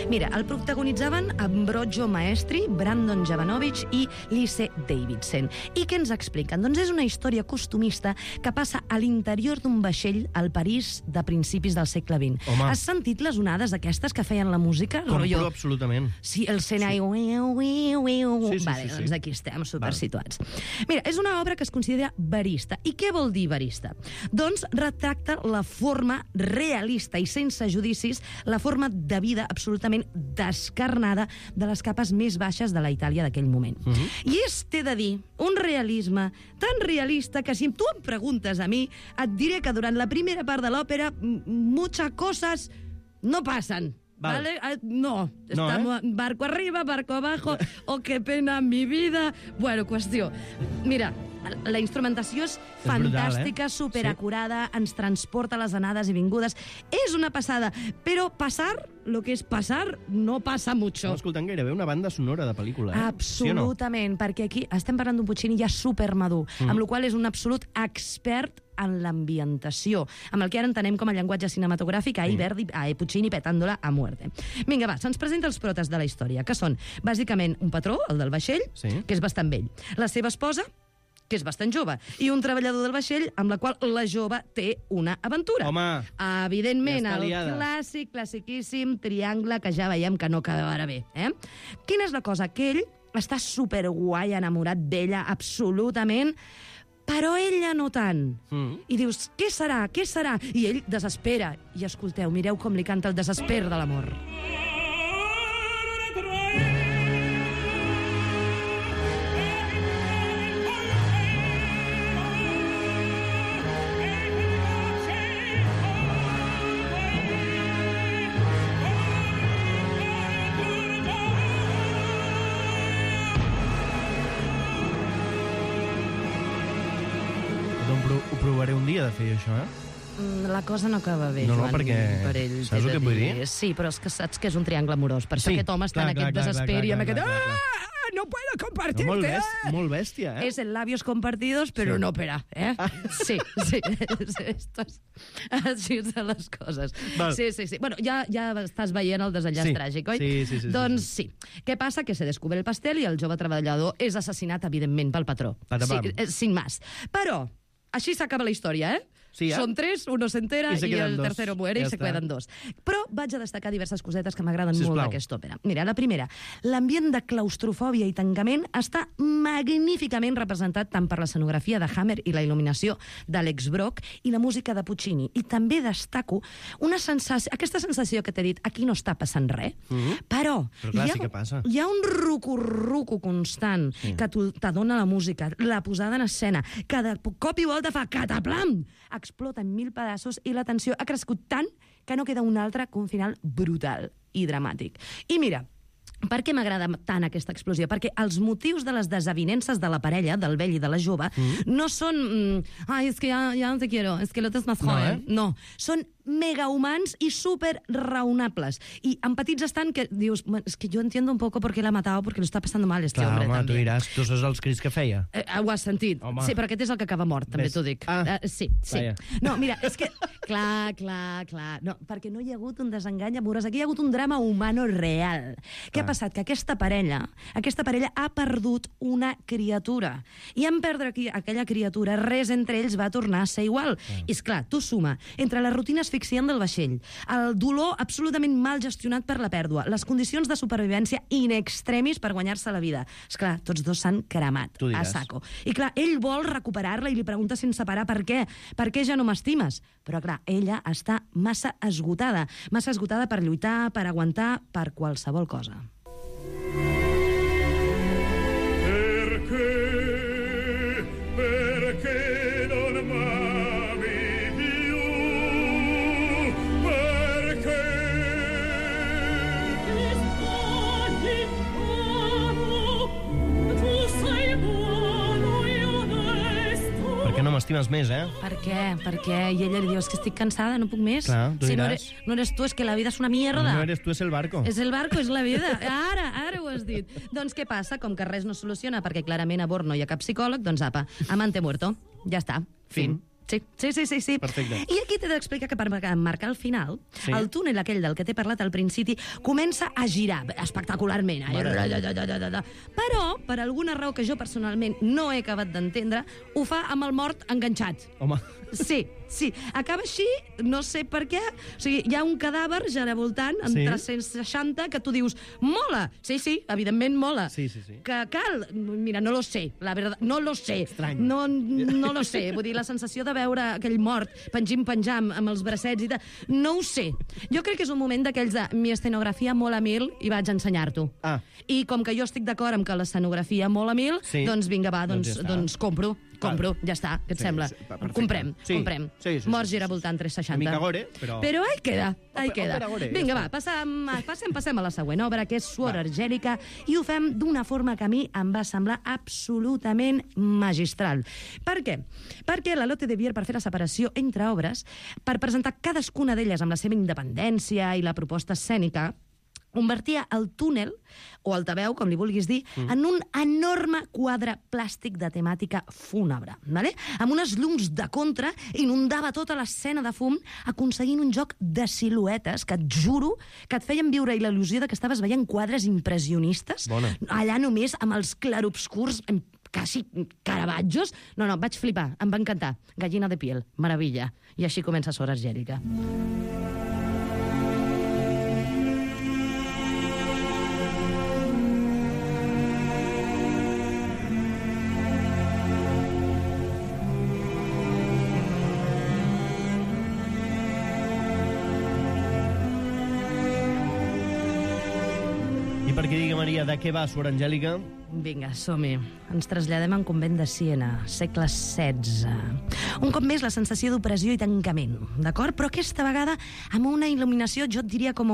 Mira, el protagonitzaven Ambrogio Maestri, Brandon Jovanovich i Lise Davidson. I què ens expliquen? Doncs és una història costumista que passa a l'interior d'un vaixell al París de principis del segle vint. Home. Has sentit les onades aquestes que feien la música? Compro Rotllo- absolutament. Sí, el Senai... Sí. Sí, sí, vale, sí, sí. doncs aquí estem, supersituats. Mira, és una obra que es considera verista. I què vol dir verista? Doncs retracta la forma realista i sense judicis, la forma de vida absolutament descarnada de les capes més baixes de la Itàlia d'aquell moment. Uh -huh. I és, t'he de dir, un realisme tan realista que si tu em preguntes a mi, et diré que durant la primera part de l'òpera m- muchas cosas no passen. Val. ¿Vale? Ah, No, No, estamos barco arriba, barco abajo, oh, qué pena mi vida. Bueno, qüestió. Mira, la instrumentació és fantàstica, brutal, eh? superacurada, ens transporta a les anades i vingudes. És una passada, però passar, lo que és passar, no passa mucho. Estava escoltant gairebé una banda sonora de pel·lícula, eh? Absolutament, sí perquè aquí estem parlant d'un Puccini ja supermadur, mm. amb la qual és un absolut expert en l'ambientació, amb el que ara entenem com a llenguatge cinematogràfic, a Verdi, a Puccini petándola a muerte. Vinga, va, se'ns presenta els protes de la història, que són, bàsicament, un patró, el del vaixell, Sí. que és bastant vell, la seva esposa, que és bastant jove, i un treballador del vaixell amb la qual la jove té una aventura. Home, Evidentment, ja està el liada. clàssic, classiquíssim triangle que ja veiem que no acabarà bé. Eh? Quina és la cosa? Que ell està superguai, enamorat d'ella, absolutament, però ella no tant. Mm. I dius, què serà, què serà? I ell desespera. I escolteu, mireu com li canta el desesper de l'amor. doncs pro- ho provaré un dia de fer això, eh? Mm, La cosa no acaba bé, No, no, Joan, perquè- per ell. saps t'he el de que vull dir? Sí, però és que saps que és un triangle amorós. Per això Sí, aquest home està clar, en aquest clar, clar, desesper clar, i amb clar, aquest... clar, clar. Ah, no puedo No, compartirte. molt, ah!" bèstia, molt bèstia, eh? És en labios compartidos, però Sí. no opera, eh? Sí, sí. Esto és... Així són les coses. Val. Sí, sí, sí. Bueno, ja, ja estàs veient el desenllaç Sí. tràgic, oi? Sí, sí, sí, sí, Doncs sí. Què passa? Que se descubre el pastel i el jove treballador és assassinat, evidentment, pel patró. Patapam. Sí, eh, sin más. Però, així s'acaba la història, eh? Sí, ja. Són tres, uno se entera I se i, queden el dos. tercero muere Ja i se està. queden dos. Però vaig a destacar diverses cosetes que m'agraden molt Sisplau. d'aquesta òpera. Mira, la primera, l'ambient de claustrofòbia i tancament està magníficament representat tant per l'escenografia de Hammer i la il·luminació d'Alex Brock i la música de Puccini. I també destaco una sensació, aquesta sensació que t'he dit, aquí no està passant res, Mhm. però, Però clar, hi, ha, sí que passa. hi ha un ruco-ruco constant Sí. que tu- t'adona la música, la posada en escena, que de cop i volta fa cataplam, explota en mil pedaços i la tensió ha crescut tant que no queda un altre que un final brutal i dramàtic. I mira, per què m'agrada tant aquesta explosió? Perquè els motius de les desavinences de la parella, del vell i de la jove, mm. no són... Mm, Ai, és que ja, ja no te quiero, és que l'altre és més No, joven. eh? No, són megahumans i super raonables. I en petits estan que dius, és que jo entiendo un poco por qué la ha matado, porque lo está pasando mal este Clar, hombre, home, també. tu diràs, tu saps els crits que feia? Eh, ho has sentit. Home. Sí, però aquest és el que acaba mort, també Ves. t'ho dic. Ah. Uh, sí, sí. Vaja. No, mira, és que... Clar, clar, clar. No, perquè no hi ha hagut un desengany amorós. Aquí hi ha hagut un drama humano real. Què ha passat? Que aquesta parella, aquesta parella ha perdut una criatura. I en perdre aquí, aquella criatura, res entre ells va tornar a ser igual. I, esclar, tu suma entre la rutina asfixiant del vaixell, el dolor absolutament mal gestionat per la pèrdua, les condicions de supervivència in extremis per guanyar-se la vida. Esclar, tots dos s'han cremat Tu a diràs. saco. I clar, ell vol recuperar-la i li pregunta sense parar per què. Per què ja no m'estimes? Però clar, ella està massa esgotada. Massa esgotada per lluitar, per aguantar, per qualsevol cosa. Perché, perché non m'ami più? Perché ti sbagli, amo, tu sei buono e onesto. Per què no m'estimes més, eh? Per què? Per què? I ella li diu, és que estic cansada, no puc més. Clar, tu si no diràs. eres, no eres tu, és que la vida és una mierda. No eres tu, és el barco. És el barco, és la vida. Ara, ara ho has dit. Doncs què passa? Com que res no soluciona perquè clarament a bord no hi ha cap psicòleg, doncs apa, amante muerto. Ja està. Fin. Sí, sí, sí, sí, sí. Perfecte. I aquí t'he d'explicar que per marcar el final, Sí. el túnel aquell del que t'he parlat al principi comença a girar espectacularment. Ai, Mare de da, da, da, da, da. Però, per alguna raó que jo personalment no he acabat d'entendre, ho fa amb el mort enganxat. Home, Sí, sí. Acaba així, no sé per què. O sigui, hi ha un cadàver giravoltant en Sí. tres-cents seixanta que tu dius, mola. Sí, sí, evidentment mola. Sí, sí, sí. Que cal? Mira, no lo sé, la verdad, no lo sé. Estrany. No, no lo sé. Vull dir, la sensació de veure aquell mort pengim-penjam amb els bracets i tal, no ho sé. Jo crec que és un moment d'aquells de mi escenografia mola mil i vaig ensenyar-t'ho. Ah. I com que jo estic d'acord amb que l'escenografia mola mil, Sí. doncs vinga, va, Doncs doncs, ja està. doncs compro. Compro, ja està, què et Sí, sembla? sí, perfecte. Comprem, Sí, comprem. sí, sí, Mort sí, sí, giravoltant tres seixanta. Una mica gore, però- Però ahí queda, ahí Òpera- queda. òpera gore, Vinga, ja va, està. passem, passem, passem a la següent obra, que és Suor Argèlica, i ho fem d'una forma que a mi em va semblar absolutament magistral. Per què? Perquè la Lotte de Vier, per fer la separació entre obres, per presentar cadascuna d'elles amb la seva independència i la proposta escènica, convertia el túnel, o altaveu, com li vulguis dir, mm. en un enorme quadre plàstic de temàtica fúnebre, vale? Amb unes llums de contra, inundava tota l'escena de fum, aconseguint un joc de siluetes que et juro que et feien viure la il·lusió de que estaves veient quadres impressionistes, Bona. allà només amb els clarobscurs, em- quasi Caravaggios. No, no, vaig flipar, em va encantar. Gallina de piel, meravella. I així comença Suor Argèlica. i per què digui, Maria, de què va Suor Angèlica? Vinga, som-hi. Ens traslladem a un convent de Siena, segle setze. Un cop més, la sensació d'opressió i tancament, d'acord? Però aquesta vegada amb una il·luminació, jo et diria com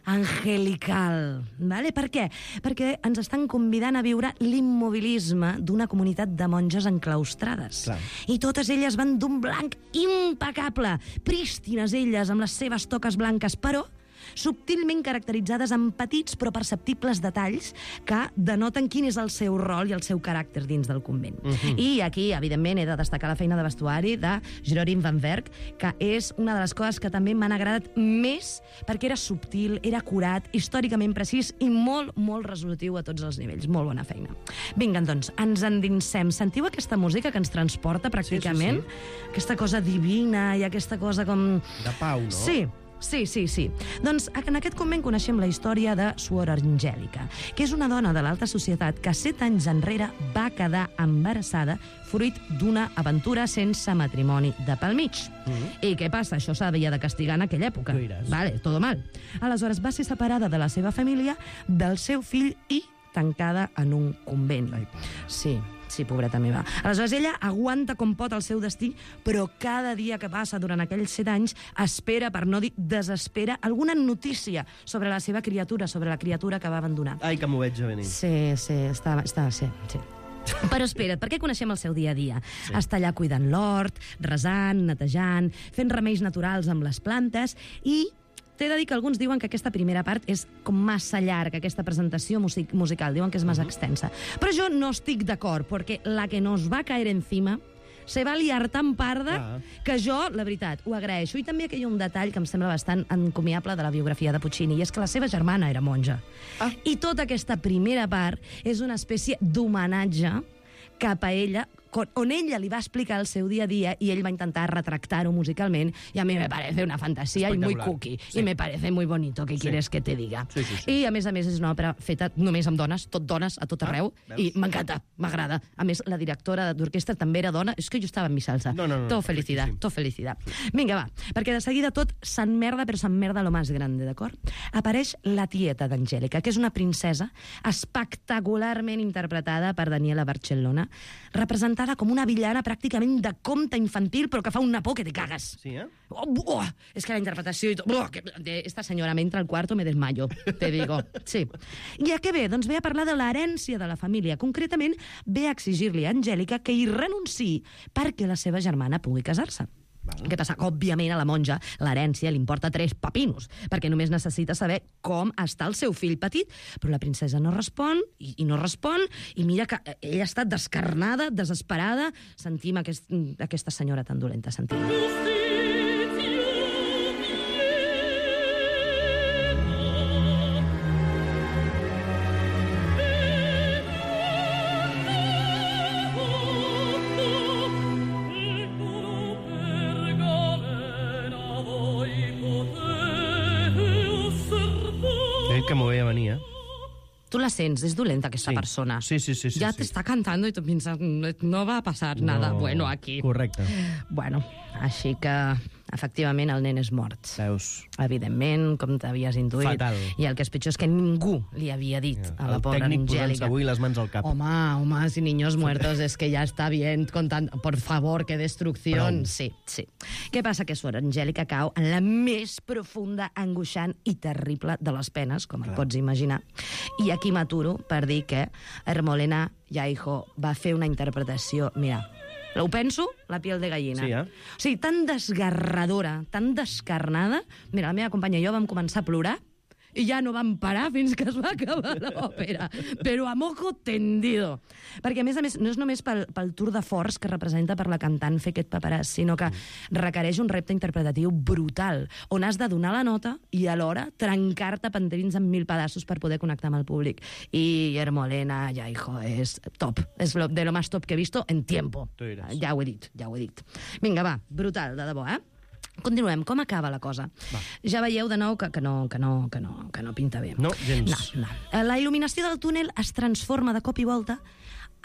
angelical. Vale? Per què? Perquè ens estan convidant a viure l'immobilisme d'una comunitat de monges enclaustrades. Clar. I totes elles van d'un blanc impecable, prístines elles, amb les seves toques blanques, però subtilment caracteritzades amb petits però perceptibles detalls que denoten quin és el seu rol i el seu caràcter dins del convent. Mhm. I aquí, evidentment, he de destacar la feina de vestuari de Jeroen van Werk, que és una de les coses que també m'han agradat més perquè era subtil, era acurat, històricament precís i molt, molt resolutiu a tots els nivells. Molt bona feina. Vinga, doncs, ens endinsem. Sentiu aquesta música que ens transporta pràcticament? Sí, sí, Aquesta cosa divina i aquesta cosa com... De pau, no? Sí, sí, sí, sí. Doncs en aquest convent coneixem la història de Suor Angèlica, que és una dona de l'alta societat que set anys enrere va quedar embarassada fruit d'una aventura sense matrimoni de pel mig. Mm. I què passa? Això s'havia de castigar en aquella època. Tu diràs. Vale, todo mal. Aleshores va ser separada de la seva família, del seu fill i tancada en un convent. Ai, pare. Sí, sí, pobreta meva. Aleshores, ella aguanta com pot el seu destí, però cada dia que passa durant aquells set anys espera, per no dir desespera, alguna notícia sobre la seva criatura, sobre la criatura que va abandonar. Ai, que m'ho veig a venir. Sí, sí, està, està, sí, sí. Però espera't, perquè coneixem el seu dia a dia. Sí. Està allà cuidant l'hort, resant, netejant, fent remeis naturals amb les plantes i t'he de dir que alguns diuen que aquesta primera part és com massa llarga, aquesta presentació music musical. Diuen que és massa extensa. Però jo no estic d'acord, perquè la que nos va caer encima se va liar tan parda ah. que jo, la veritat, ho agraeixo. I també que hi ha un detall que em sembla bastant encomiable de la biografia de Puccini, i és que la seva germana era monja. Ah. I tota aquesta primera part és una espècie d'homenatge cap a ella, on ella li va explicar el seu dia a dia y ell va intentar retractar-ho musicalment, i a mi me parece una fantasia i muy cookie, sí. I me parece muy bonito, ¿qué sí. quieres que te diga? Sí, sí, sí. I a més a més és una òpera feta només amb dones, tot dones, a tot arreu, ah, i m'encanta, m'agrada. A més, la directora d'orquestra també era dona, és que jo estava en mi salsa. No, no, no. Tot felicidad, tot felicidad. Vinga, va, perquè de seguida tot s'emmerda, però s'emmerda lo más grande, d'acord? Apareix la tieta d'Angèlica, que és una princesa espectacularment interpretada per Daniela Barcellona, representada com una villana pràcticament de conte infantil, però que fa una por que te cagas. Sí, eh? Oh, oh, és que la interpretació i tot... Oh, que, de esta senyora me entra al cuarto, me desmayo, te digo. Sí. I a què ve? Doncs ve a parlar de l'herència de la família. Concretament, ve a exigir-li a Angèlica que hi renunciï perquè la seva germana pugui casar-se. Val. Què passa? Òbviament a la monja l'herència li importa tres papinos, perquè només necessita saber com està el seu fill petit. Però la princesa no respon, i, i no respon, i mira que ella ha estat descarnada, desesperada. Sentim aquest, aquesta senyora tan dolenta, sentim. Que m'ho veia venir, eh? Tu la sents, és dolenta aquesta sí. persona. Sí, sí, sí. sí ja sí. t'està cantant i tu penses, no va passar no. nada bueno aquí. Correcte. Bueno, així que, efectivament, el nen és mort. Veus? Evidentment, com t'havies intuït. Fatal. I el que és pitjor és que ningú li havia dit ja. a la pobra Angèlica. El tècnic posant-se avui les mans al cap. Home, home, si niños muertos es que ya está bien contant... Por favor, que destrucción. Prou. Sí, sí. Què passa? Que Sor Angèlica cau en la més profunda, angoixant i terrible de les penes, com Clar. et pots imaginar. I aquí m'aturo per dir que Hermolena Yaijo va fer una interpretació... Mira, ho penso, la piel de gallina. Sí, eh? O sigui, tan desgarradora, tan descarnada... Mira, la meva companya i jo vam començar a plorar i ja no vam parar fins que es va acabar l'òpera. Però a mojo tendido. Perquè, a més a més, no és només pel, pel tour de force que representa per la cantant fer aquest paperàs, sinó que requereix un repte interpretatiu brutal, on has de donar la nota i alhora trencar-te panterins en mil pedaços per poder connectar amb el públic. I Hermolena Yaijo és top. És lo, de lo más top que he visto en tiempo. Ja ho he dit, ja ho he dit. Vinga, va, brutal, de debò, eh? Continuem. Com acaba la cosa? Va. Ja veieu de nou que, que, no, que, no, que, no, que no pinta bé. No, gens. No, no. La il·luminació del túnel es transforma de cop i volta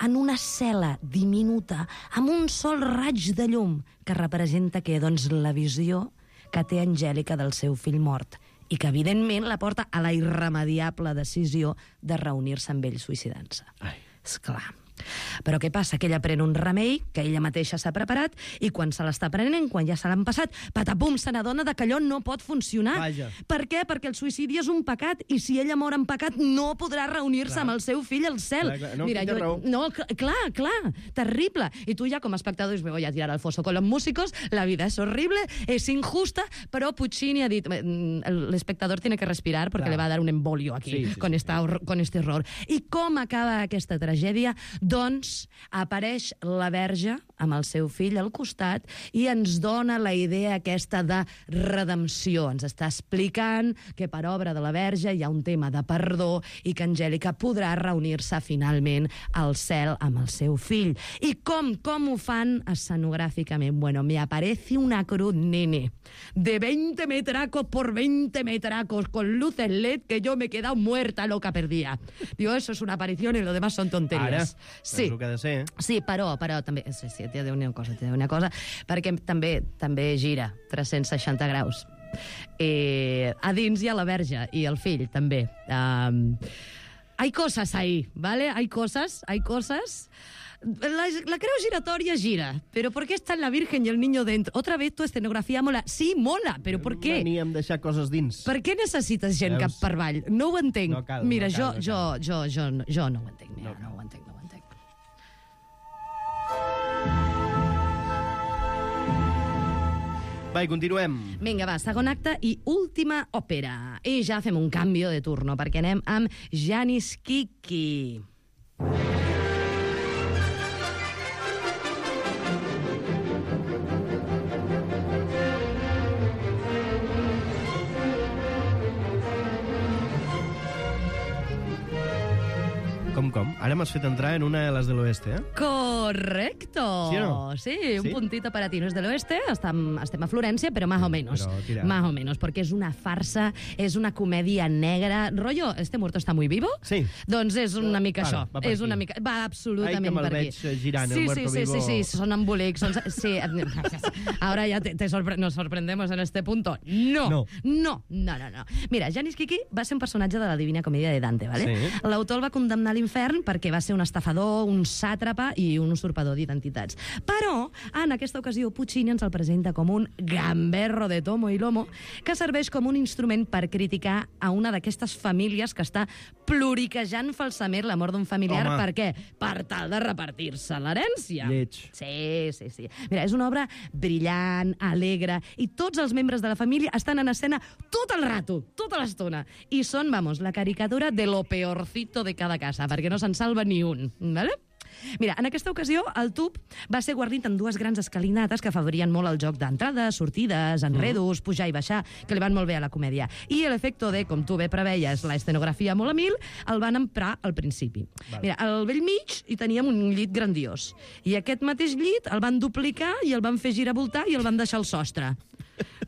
en una cel·la diminuta amb un sol raig de llum que representa que, doncs, la visió que té Angèlica del seu fill mort i que, evidentment, la porta a la irremediable decisió de reunir-se amb ell suïcidant-se. Esclar. Però què passa? Que ella pren un remei que ella mateixa s'ha preparat i quan se l'està prenent, quan ja se l'han passat, patapum, se n'adona que allò no pot funcionar. Vaja. Per què? Perquè el suïcidi és un pecat i si ella mor en pecat no podrà reunir-se amb el seu fill al cel. Clar, clar. No, Mira, jo, no, clar, clar, terrible. I tu ja com a espectador dius, me voy a tirar al foso con los músicos, la vida es horrible, es injusta, però Puccini ha dit, l'espectador tiene que respirar porque clar. le va a dar un embolio aquí sí, sí, con, esta, con este horror. I com acaba aquesta tragèdia? Doncs apareix la Verge amb el seu fill al costat i ens dona la idea aquesta de redempció. Ens està explicant que per obra de la Verge hi ha un tema de perdó i que Angèlica podrà reunir-se finalment al cel amb el seu fill. I com? Com ho fan escenogràficament? Bueno, me aparece una cruz, nene, de veinte metracos por veinte metracos, con luces L E D, que yo me he quedado muerta loca perdida. Digo, eso es una aparición y lo demás son tonterías. Ara, sí. És el que ha de ser, eh? Sí, però, però també... Sí, sí, t'he de dir una cosa, t'he de dir una cosa, perquè també també gira tres-cents seixanta graus. Eh, a dins hi ha la Verge i el fill, també. Um, hay cosas ahí, ¿vale? Hay cosas, hay cosas... La, la creu giratòria gira, però ¿por qué está la Virgen y el niño dentro? Otra vez tu escenografia mola. Sí, mola, però ¿por qué? Veníem a deixar coses dins. Per què necessites gent Veus? cap per avall? No ho entenc. No cal, Mira, no cal, jo, no jo, jo, jo, jo no ho entenc. Mira, no, no ho entenc, no ho entenc. Va, i continuem. Vinga, va, segon acte i última òpera. I ja fem un canvi de turno, perquè anem amb Janis Kiki. Com, com? Ara m'has fet entrar en una de les de l'oeste, eh? Correcto. ¿Sí o no? Sí, un ¿Sí? puntito para ti. No es del oeste, estem, estem a Florència, però más o menos. Però tira. Más o menos, perquè és una farsa, és una comèdia negra. Rollo, este muerto está muy vivo? Sí. Doncs és una mica Vale, això. va per és una aquí. mica... Va absolutament Ai, que me'l per aquí. veig girant, el sí, muerto sí, sí, vivo. sí, sí, són embolics. Són... Sí. Ahora ya te, te sorpre... nos sorprendemos en este punto. No. No. No, no, no, no. Mira, Janis Kiki va ser un personatge de la Divina Comèdia de Dante, ¿vale? Sí. L'autor el va condemnar a l'infern perquè va ser un estafador, un sàtrapa i un usurpador d'identitats. Però, en aquesta ocasió, Puccini ens el presenta com un gamberro de tomo i lomo que serveix com un instrument per criticar a una d'aquestes famílies que està ploriquejant falsament la mort d'un familiar. Home. Per què? Per tal de repartir-se l'herència. Lleig. Sí, sí, sí. Mira, és una obra brillant, alegre, i tots els membres de la família estan en escena tot el rato, tota l'estona. I són, vamos, la caricatura de lo peorcito de cada casa, perquè no se'n salva ni un, ¿vale? Mira, en aquesta ocasió, el tub va ser guarnit amb dues grans escalinates que afavorien molt el joc d'entrades, sortides, enredos, pujar i baixar, que li van molt bé a la comèdia. I l'efecte de, com tu bé preveies, la escenografia molt a mil, el van emprar al principi. Vale. Mira, al vell mig hi teníem un llit grandiós. I aquest mateix llit el van duplicar i el van fer giravoltar i el van deixar al sostre.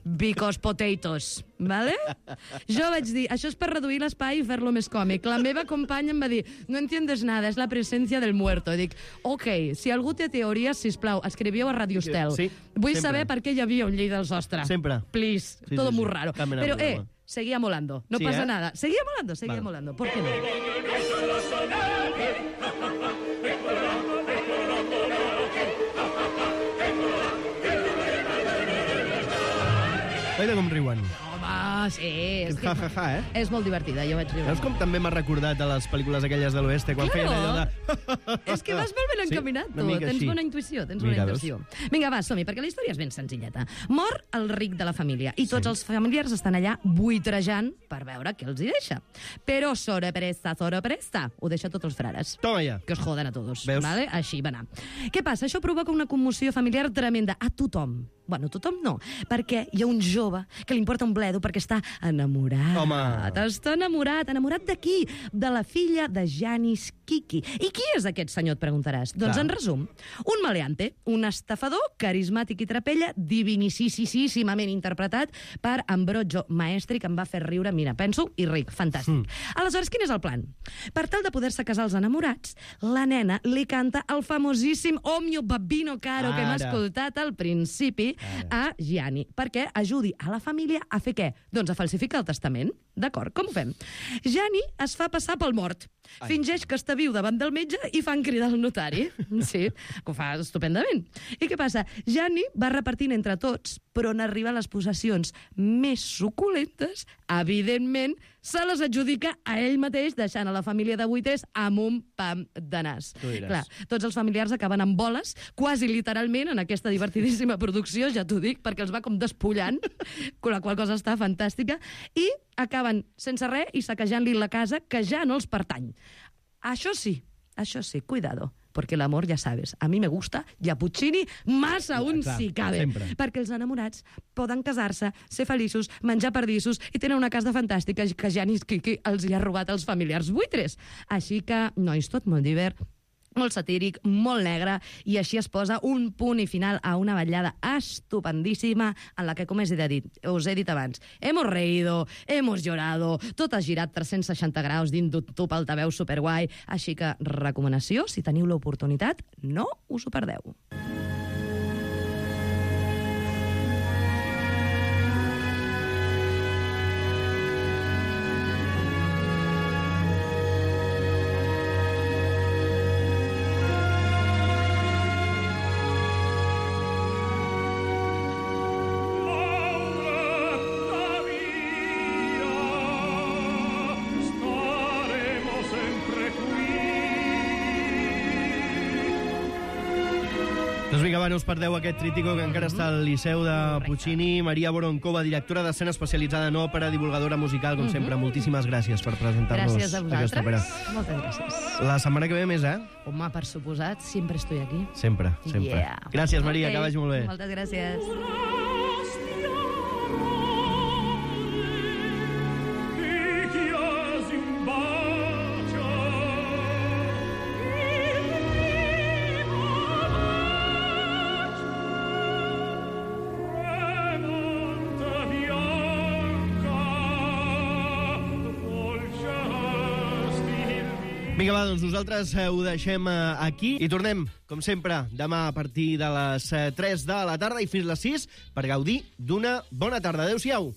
Because potatoes, ¿vale? Jo vaig dir, això és per reduir l'espai i fer-lo més còmic. La meva companya em va dir, no entiendes nada, és la presència del muerto. I dic, ok, si algú té teories, sisplau, escriviu a Radio Estel. Sí, Vull sempre. saber per què hi havia un llit al sostre. Sempre. Please, Sí, todo sí, muy sí. raro. Cap mena de Pero, eh, problema. seguía molando, no Sí, pasa eh? nada. Seguía molando, seguía Vale. molando. ¿Por qué no? Veure com riuen. Home, sí. És, que Ja, ja, ja, eh? és molt divertida, jo vaig riure. Veus com també m'ha recordat a les pel·lícules aquelles de l'oeste, quan Claro. feien allò de... És que vas molt ben encaminat, Sí, tu. una mica Tens així. bona intuïció, tens Mira, bona veus? intuïció. Vinga, va, som-hi, perquè la història és ben senzilleta. Mor el ric de la família i tots els familiars estan allà buitrejant per veure què els hi deixa. Però sorpresa, sorpresa, ho deixa tots els frares. Toma ja. Que os joden a todos. Veus? Vale? Així va anar. Què passa? Això provoca una commoció familiar tremenda a tothom. Bueno, tothom no, perquè hi ha un jove que li importa un bledo perquè està enamorat. Home. Està enamorat. Enamorat de qui? De la filla de Janis Kiki. I qui és aquest senyor, et preguntaràs? Doncs, Clar. en resum, un maleante, un estafador carismàtic i trapella, divinissimament interpretat per Ambrogio Maestri, que em va fer riure, mira, penso, i ric, fantàstic. Mm. Aleshores, quin és el plan? Per tal de poder-se casar els enamorats, la nena li canta el famosíssim O mio babbino caro que hem Ara. escoltat al principi a Gianni, perquè ajudi a la família a fer què? Doncs a falsificar el testament. D'acord, com ho fem? Gianni es fa passar pel mort. Ai. Fingeix que està viu davant del metge i fan cridar el notari. Sí, que ho fa estupendament. I què passa? Gianni va repartint entre tots, però on arriben les possessions més suculentes, evidentment, se les adjudica a ell mateix, deixant a la família de Buitres amb un pam de nas. Tu diràs. Clar, tots els familiars acaben amb boles, quasi literalment, en aquesta divertidíssima producció, ja t'ho dic, perquè els va com despullant, la qual cosa està fantàstica, i acaben sense res i saquejant-li la casa, que ja no els pertany. Això sí, això sí, cuidado, porque el amor, ya sabes, a mí me gusta y a Puccini más aún Clar, si cabe. sempre. Perquè els enamorats poden casar-se, ser feliços, menjar pardissos i tenen una casa fantàstica que Janis Kiki els hi ha robat als familiars buitres. Així que, nois, tot molt divert, molt satíric, molt negre, i així es posa un punt i final a una ballada estupendíssima en la que, com us he dit, us he dit abans, hemos reído, hemos llorado, tot ha girat tres-cents seixanta graus dins d'un tub altaveu superguai, així que recomanació, si teniu l'oportunitat, no us ho perdeu. Doncs vinga, va, no us perdeu aquest trítico que encara està al Liceu de Puccini. Maria Voronkova, directora d'escena especialitzada en òpera, divulgadora musical, com sempre. Moltíssimes gràcies per presentar-nos Gràcies a aquesta òpera. vosaltres. Moltes gràcies. La setmana que ve més, eh? Home, per suposat, sempre estoy aquí. Sempre, sempre. Yeah. Gràcies, Maria, Ok, que vagi molt bé. Moltes gràcies. Vinga, va, doncs nosaltres eh, ho deixem eh, aquí i tornem, com sempre, demà a partir de les eh, tres de la tarda i fins les sis per gaudir d'una bona tarda. Adéu-siau.